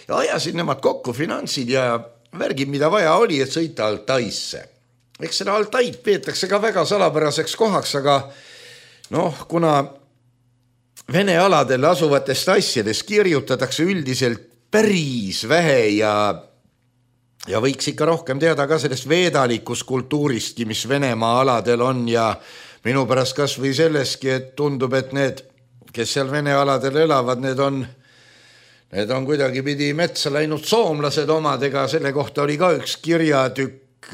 ja ajasid nemad kokku finantsid ja värgid, mida vaja oli, et sõita Altaisse. Eks seda Altaid peetakse ka väga salapäraseks kohaks, aga noh, kuna Vene aladel asuvatest asjadest kirjutatakse üldiselt päris vähe ja, ja võiks ikka rohkem teada ka sellest veedalikust kultuuristki, mis Venemaa aladel on ja minu pärast kas või selleski, et tundub, et need, kes seal Vene aladel elavad, need on, need on kuidagi pidi metsa läinud soomlased omadega, selle kohta oli ka üks kirjatükk,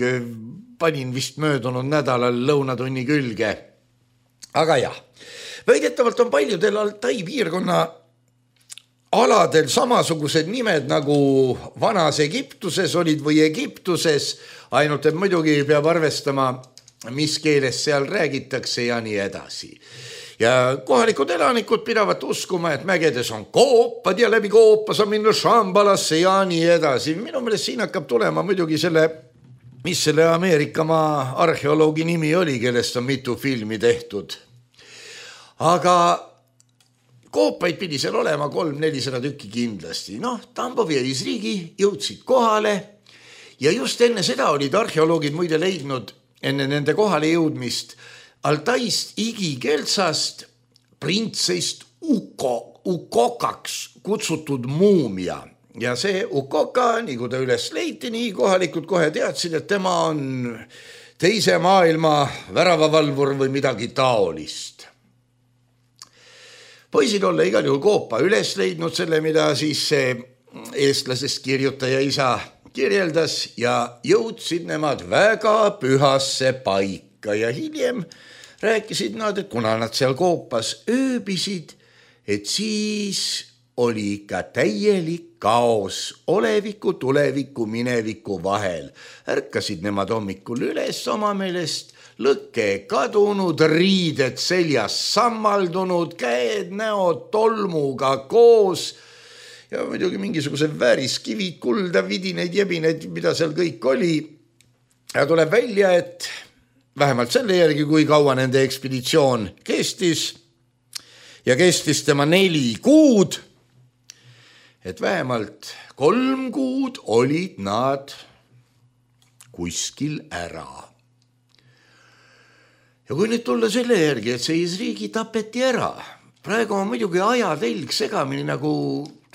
panin vist möödunud nädalal lõunatunni külge. Aga jah, väidetavalt on paljudel Altai piirkonna aladel samasugused nimed nagu vanas Egiptuses olid või Egiptuses, ainult et muidugi peab arvestama, mis keeles seal räägitakse ja nii edasi. Ja kohalikud elanikud pidavat uskuma, et mägedes on koopad ja läbi koopa saab minna Shambalasse ja nii edasi. Minu meelest siin hakkab tulema muidugi selle, mis selle Ameerikamaa arheoloogi nimi oli, kellest on mitu filmi tehtud. Aga koopaid pidi seal olema kolm nelisada tükki kindlasti. Noh, Tambov ja Izriigi jõudsid kohale ja just enne seda olid arheoloogid muide leidnud enne nende kohale jõudmist Altaist Igi-Keltsast printsest Uko, Ukokaks kutsutud muumia. Ja see Ukoka, nii kui ta üles leiti, nii kohalikud kohe teadsid, et tema on teise maailma väravavalvur või midagi taolist. Poisid olla igal juhul koopa üles leidnud selle, mida siis see eestlasest kirjutaja isa kirjeldas ja jõudsid nemad väga pühasse paika ja hiljem rääkisid nad, et kuna nad seal koopas ööbisid, et siis oli ikka täielik kaos oleviku, tuleviku, mineviku vahel. Ärkasid nemad hommikul üles oma meelest, lõkke kadunud, riided seljas sammaldunud, käed, näod tolmuga koos ja muidugi mingisugused vääriskivid, kulda, vidineid, jebineid, mida seal kõik oli. Ja tuleb välja, et vähemalt selle järgi, kui kaua nende ekspeditsioon kestis ja kestis tema neli kuud, et vähemalt kolm kuud olid nad kuskil ära. Ja kui nüüd tulla selle järgi, et see Izriigi tapeti ära, praegu on muidugi ajatelg segamini, nagu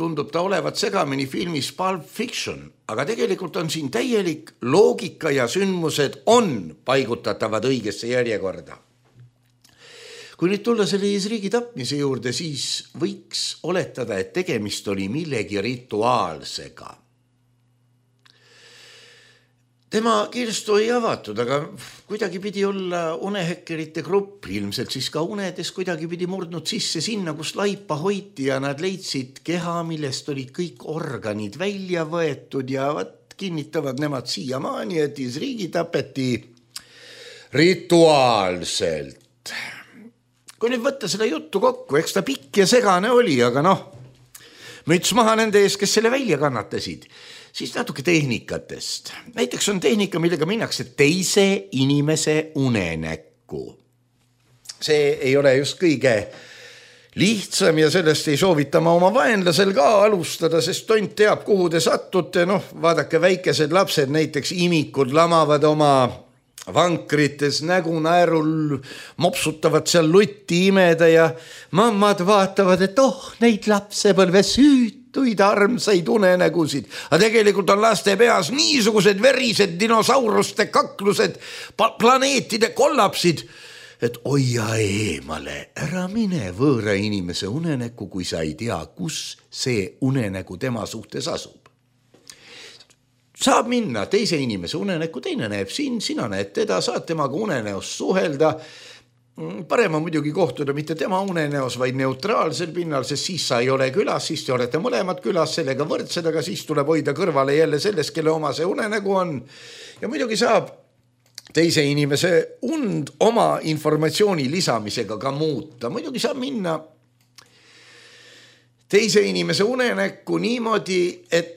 tundub ta olevat segamini filmis Pulp Fiction, aga tegelikult on siin täielik loogika ja sündmused on paigutatavad õigesse järjekorda. Kui nüüd tulla selle Izriigi tapmise juurde, siis võiks oletada, et tegemist oli millegi rituaalsega. Tema kirstu ei avatud, aga kuidagi pidi olla unehekkerite grupp, ilmselt siis ka unedes kuidagi pidi murdnud sisse sinna, kus laipa hoiti ja nad leidsid keha, millest olid kõik organid välja võetud ja vat kinnitavad nemad siiamaani, et Izriigi tapeti rituaalselt. Kui nüüd võtta seda juttu kokku, eks ta pikk ja segane oli, aga noh, müts maha nende ees, kes selle välja kannatasid. Siis natuke tehnikatest. Näiteks on tehnika, millega minnakse teise inimese unenäkku. See ei ole just kõige lihtsam ja sellest ei soovita ma oma vaenlasel ka alustada, sest tont teab, kuhu te sattute. Noh, vaadake, väikesed lapsed, näiteks imikud lamavad oma vankrites nägu naerul, mopsutavad seal lutti imeda ja mammad vaatavad, et oh, neid lapsepõlve süütuid armsaid unenägusid. Aga tegelikult on laste peas niisugused verised dinosauruste kaklused, planeetide kollapsid, et hoia eemale, ära mine võõra inimese unenäkku, kui sa ei tea, kus see unenägu tema suhtes asub. Saab minna teise inimese unenäkku, teine näeb siin, sina näed teda, saad temaga unenäos suhelda. Parem on muidugi kohtuda mitte tema unenäos, vaid neutraalsel pinnal, sest siis sa ei ole külas, siis te olete mõlemad külas, sellega võrdsed, aga siis tuleb hoida kõrvale jälle sellest, kelle oma see unenägu on. Ja muidugi saab teise inimese und oma informatsiooni lisamisega ka muuta. Muidugi saab minna teise inimese unenäkku niimoodi, et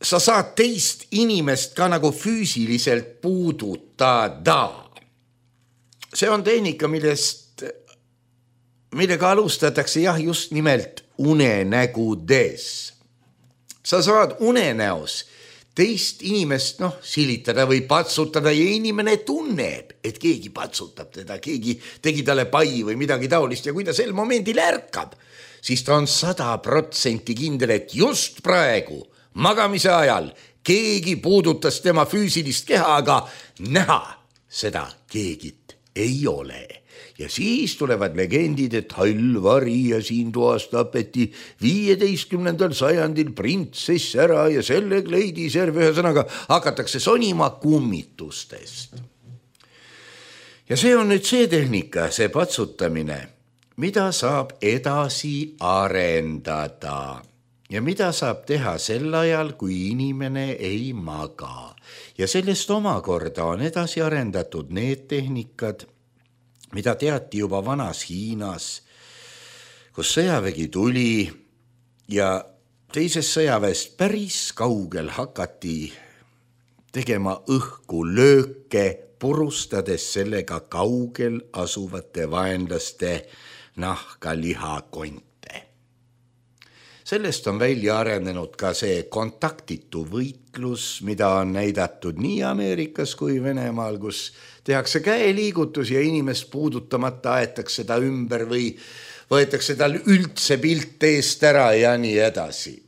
sa saad teist inimest ka nagu füüsiliselt puudutada. See on tehnika, millest, millega alustatakse jah, just nimelt unenägudes. Sa saad unenäos teist inimest noh, silitada või patsutada ja inimene tunneb, et keegi patsutab teda, keegi tegi talle pai või midagi taolist ja kui ta sel momendil ärkab, siis ta on sada protsenti kindel, et just praegu magamise ajal keegi puudutas tema füüsilist keha, aga näha seda keegit ei ole. Ja siis tulevad legendid, et hall vari ja siin toas tapeti viieteistkümnendal sajandil printsess ära ja selle kleidis järve, ühesõnaga hakatakse sonima kummitustest. Ja see on nüüd see tehnika, see patsutamine, mida saab edasi arendada ja mida saab teha sel ajal, kui inimene ei maga. Ja sellest omakorda on edasi arendatud need tehnikad, mida teati juba vanas Hiinas, kus sõjavägi tuli ja teisest sõjaväest päris kaugel hakati tegema õhku lööke, purustades sellega kaugel asuvate vaenlaste nahka lihakonte. Sellest on välja arenenud ka see kontaktitu võitlus, mida on näidatud nii Ameerikas kui Venemaal, kus tehakse käeliigutus ja inimest puudutamata aetakse ta ümber või võetakse tal üldse pilt eest ära ja nii edasi.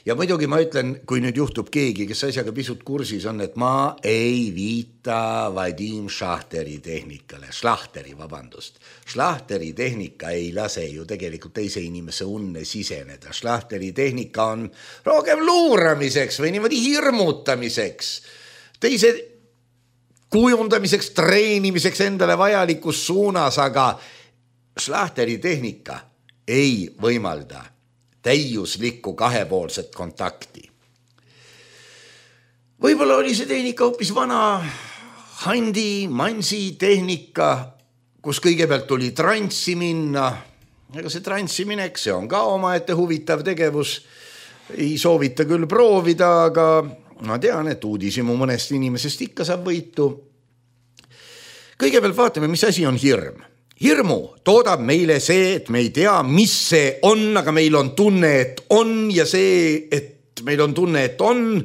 Ja muidugi ma ütlen, kui nüüd juhtub keegi, kes asjaga pisut kursis on, et ma ei viita Vadim Šlahteri tehnikale, Šlahteri, vabandust. Šlahteri tehnika ei lase ju tegelikult teise inimese unne siseneda. Šlahteri tehnika on rohkem luuramiseks või niimoodi hirmutamiseks, teise kujundamiseks, treenimiseks endale vajalikus suunas, aga Šlahteri tehnika ei võimalda täiuslikku kahepoolset kontakti. Võib-olla oli see tehnika hoopis vana Handi, Mansi tehnika, kus kõigepealt tuli transsi minna. Ega see transsi minek, see on ka omaette huvitav tegevus. Ei soovita küll proovida, aga ma tean, et uudisimu mõnest inimesest ikka saab võitu. Kõigepealt vaatame, mis asi on hirm. Hirmu toodab meile see, et me ei tea, mis see on, aga meil on tunne, et on ja see, et meil on tunne, et on,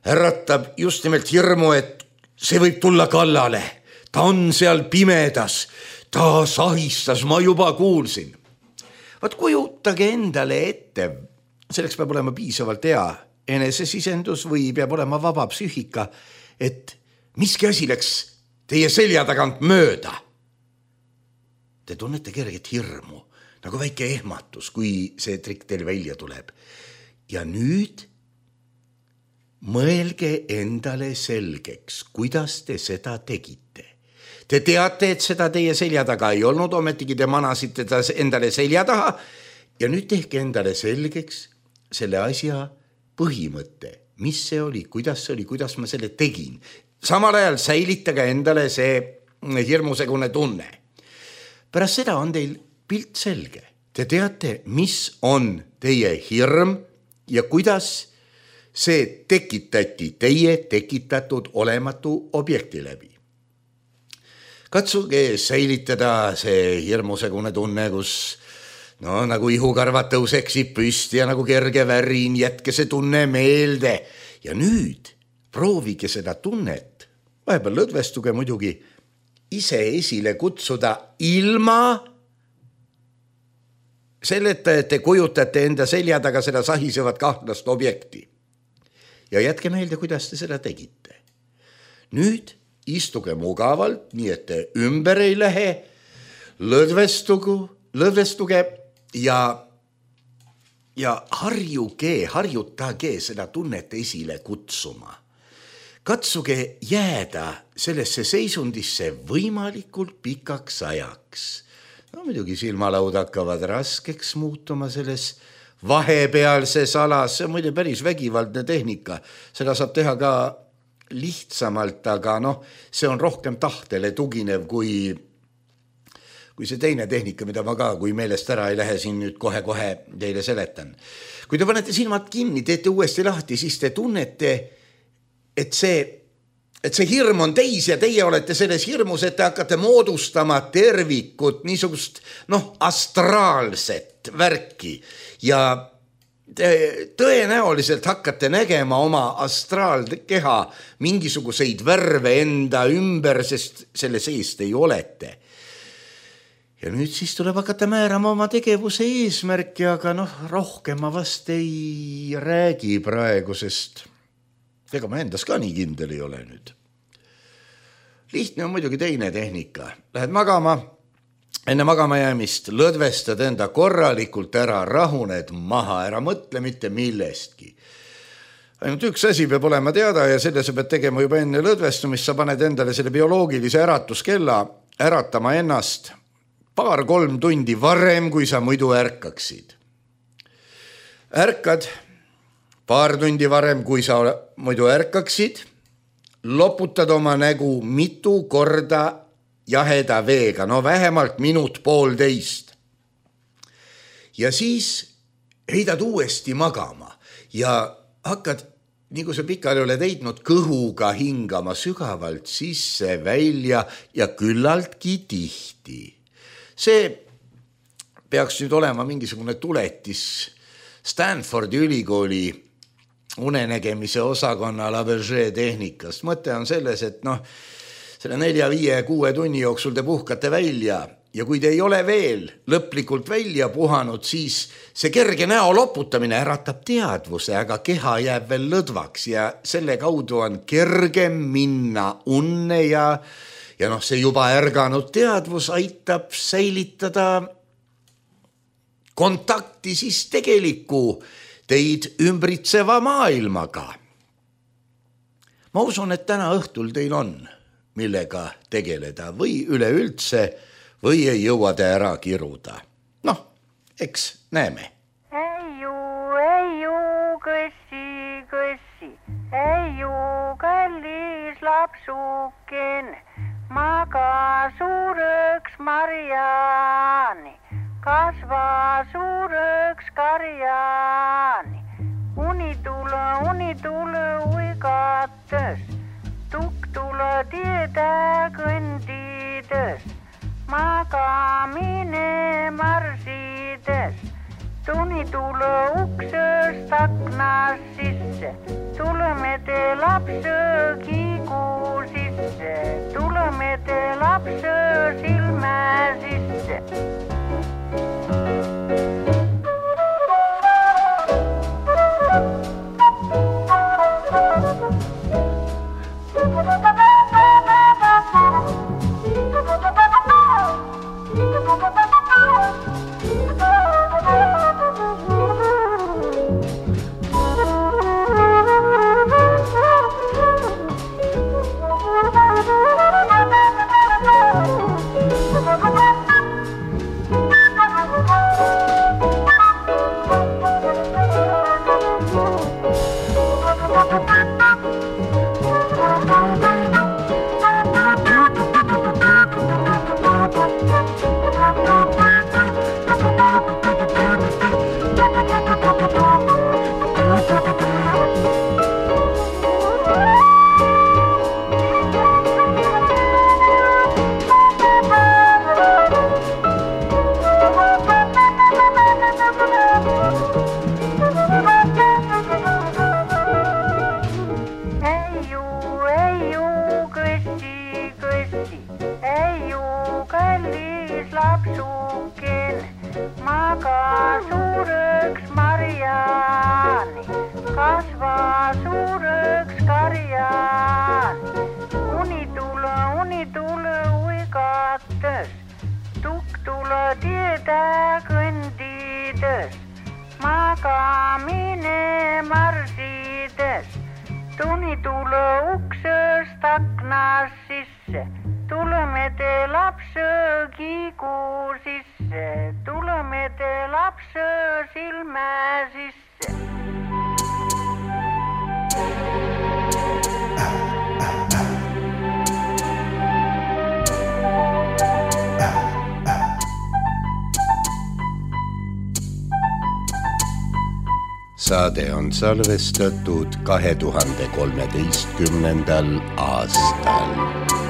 äratab just nimelt hirmu, et see võib tulla kallale. Ta on seal pimedas, ta sahistas, ma juba kuulsin. Vaat kujutage endale ette, selleks peab olema piisavalt hea enesesisendus või peab olema vaba psüühika, et miski asi läks teie selja tagant mööda. Te tunnete kerget hirmu, nagu väike ehmatus, kui see trikk teil välja tuleb. Ja nüüd mõelge endale selgeks, kuidas te seda tegite. Te teate, et seda teie selja taga ei olnud, ometigi te manasite ta endale selja taha ja nüüd tehke endale selgeks selle asja põhimõtte, mis see oli, kuidas see oli, kuidas ma selle tegin. Samal ajal säilitage endale see hirmusegune tunne. Pärast seda on teil pilt selge. Te teate, mis on teie hirm ja kuidas see tekitati teie tekitatud olematu objekti läbi. Katsuge säilitada see hirmusegune tunne, kus no, nagu ihukarvad tõuseksib püsti ja nagu kerge värin, jätke see tunne meelde. Ja nüüd proovige seda tunnet, vahepeal lõdvestuge muidugi, ise esile kutsuda ilma selleta, et te kujutate enda selja taga seda sahisevat kahtlast objekti. Ja jätke meelde, kuidas te seda tegite. Nüüd istuge mugavalt, nii et te ümber ei lähe, lõdvestugu, lõdvestuge ja, ja harjuge, harjutage seda tunnet esile kutsuma. Katsuge jääda sellesse seisundisse võimalikult pikaks ajaks. No muidugi silmalaud hakkavad raskeks muutuma selles vahepealses alas, see on muide päris vägivaldne tehnika, seda saab teha ka lihtsamalt, aga noh, see on rohkem tahtele tuginev kui, kui see teine tehnika, mida ma ka, kui meelest ära ei lähe, siin nüüd kohe-kohe teile seletan. Kui te panete silmad kinni, teete uuesti lahti, siis te tunnete, et see, et see hirm on teis ja teie olete selles hirmus, et te hakkate moodustama tervikut, niisugust noh, astraalset värki ja te tõenäoliselt hakkate nägema oma astraalkeha mingisuguseid värve enda ümber, sest selle seest ei olete. Ja nüüd siis tuleb hakata määrama oma tegevuse eesmärki, aga noh, rohkem ma vast ei räägi praegu, sest ega ma endas ka nii kindel ei ole nüüd. Lihtne on muidugi teine tehnika. Lähed magama, enne magama jäämist lõdvestad enda korralikult ära, rahuned maha, ära mõtle mitte millestki. Ainult üks asi peab olema teada ja selle sa pead tegema juba enne lõdvestumist, sa paned endale selle bioloogilise äratuskella äratama ennast paar-kolm tundi varem, kui sa muidu ärkaksid. Ärkad paar tundi varem, kui sa muidu ärkaksid, loputad oma nägu mitu korda jaheda veega, no vähemalt minut poolteist. Ja siis heidad uuesti magama ja hakkad, nii kui sa pikali oled heidnud, kõhuga hingama sügavalt sisse, välja ja küllaltki tihti. See peaks nüüd olema mingisugune tuletis Stanfordi ülikooli unenägemise osakonna Labergé tehnikast. Mõte on selles, et noh, selle nelja, viie, kuue tunni jooksul te puhkate välja ja kui te ei ole veel lõplikult välja puhanud, siis see kerge näo loputamine äratab teadvuse, aga keha jääb veel lõdvaks ja selle kaudu on kergem minna unne ja, ja noh, see juba ärganud teadvus aitab säilitada kontakti siis tegeliku teid ümbritseva maailmaga. Ma usun, et täna õhtul teil on millega tegeleda või üleüldse või ei jõua te ära kiruda. Noh, eks näeme. Ei ju, ei ju, kõssi, kõssi, ei ju, kallis lapsuken, maga suureks Mariani, kasva suureks karjani, unitule, unitule uigates, tukk tule tiede kõndides, magamine marsides, tuni tule uksest aknast sisse, tuleme te lapse kiigu sisse, tuleme te lapse silme sisse. teede kõndides, magamine marsides, tunitule uksest aknast sisse, tuleme te lapse kiigu sisse, tuleme te lapse silme sisse. Saade on salvestatud kahe tuhande kolmeteistkümnendal aastal.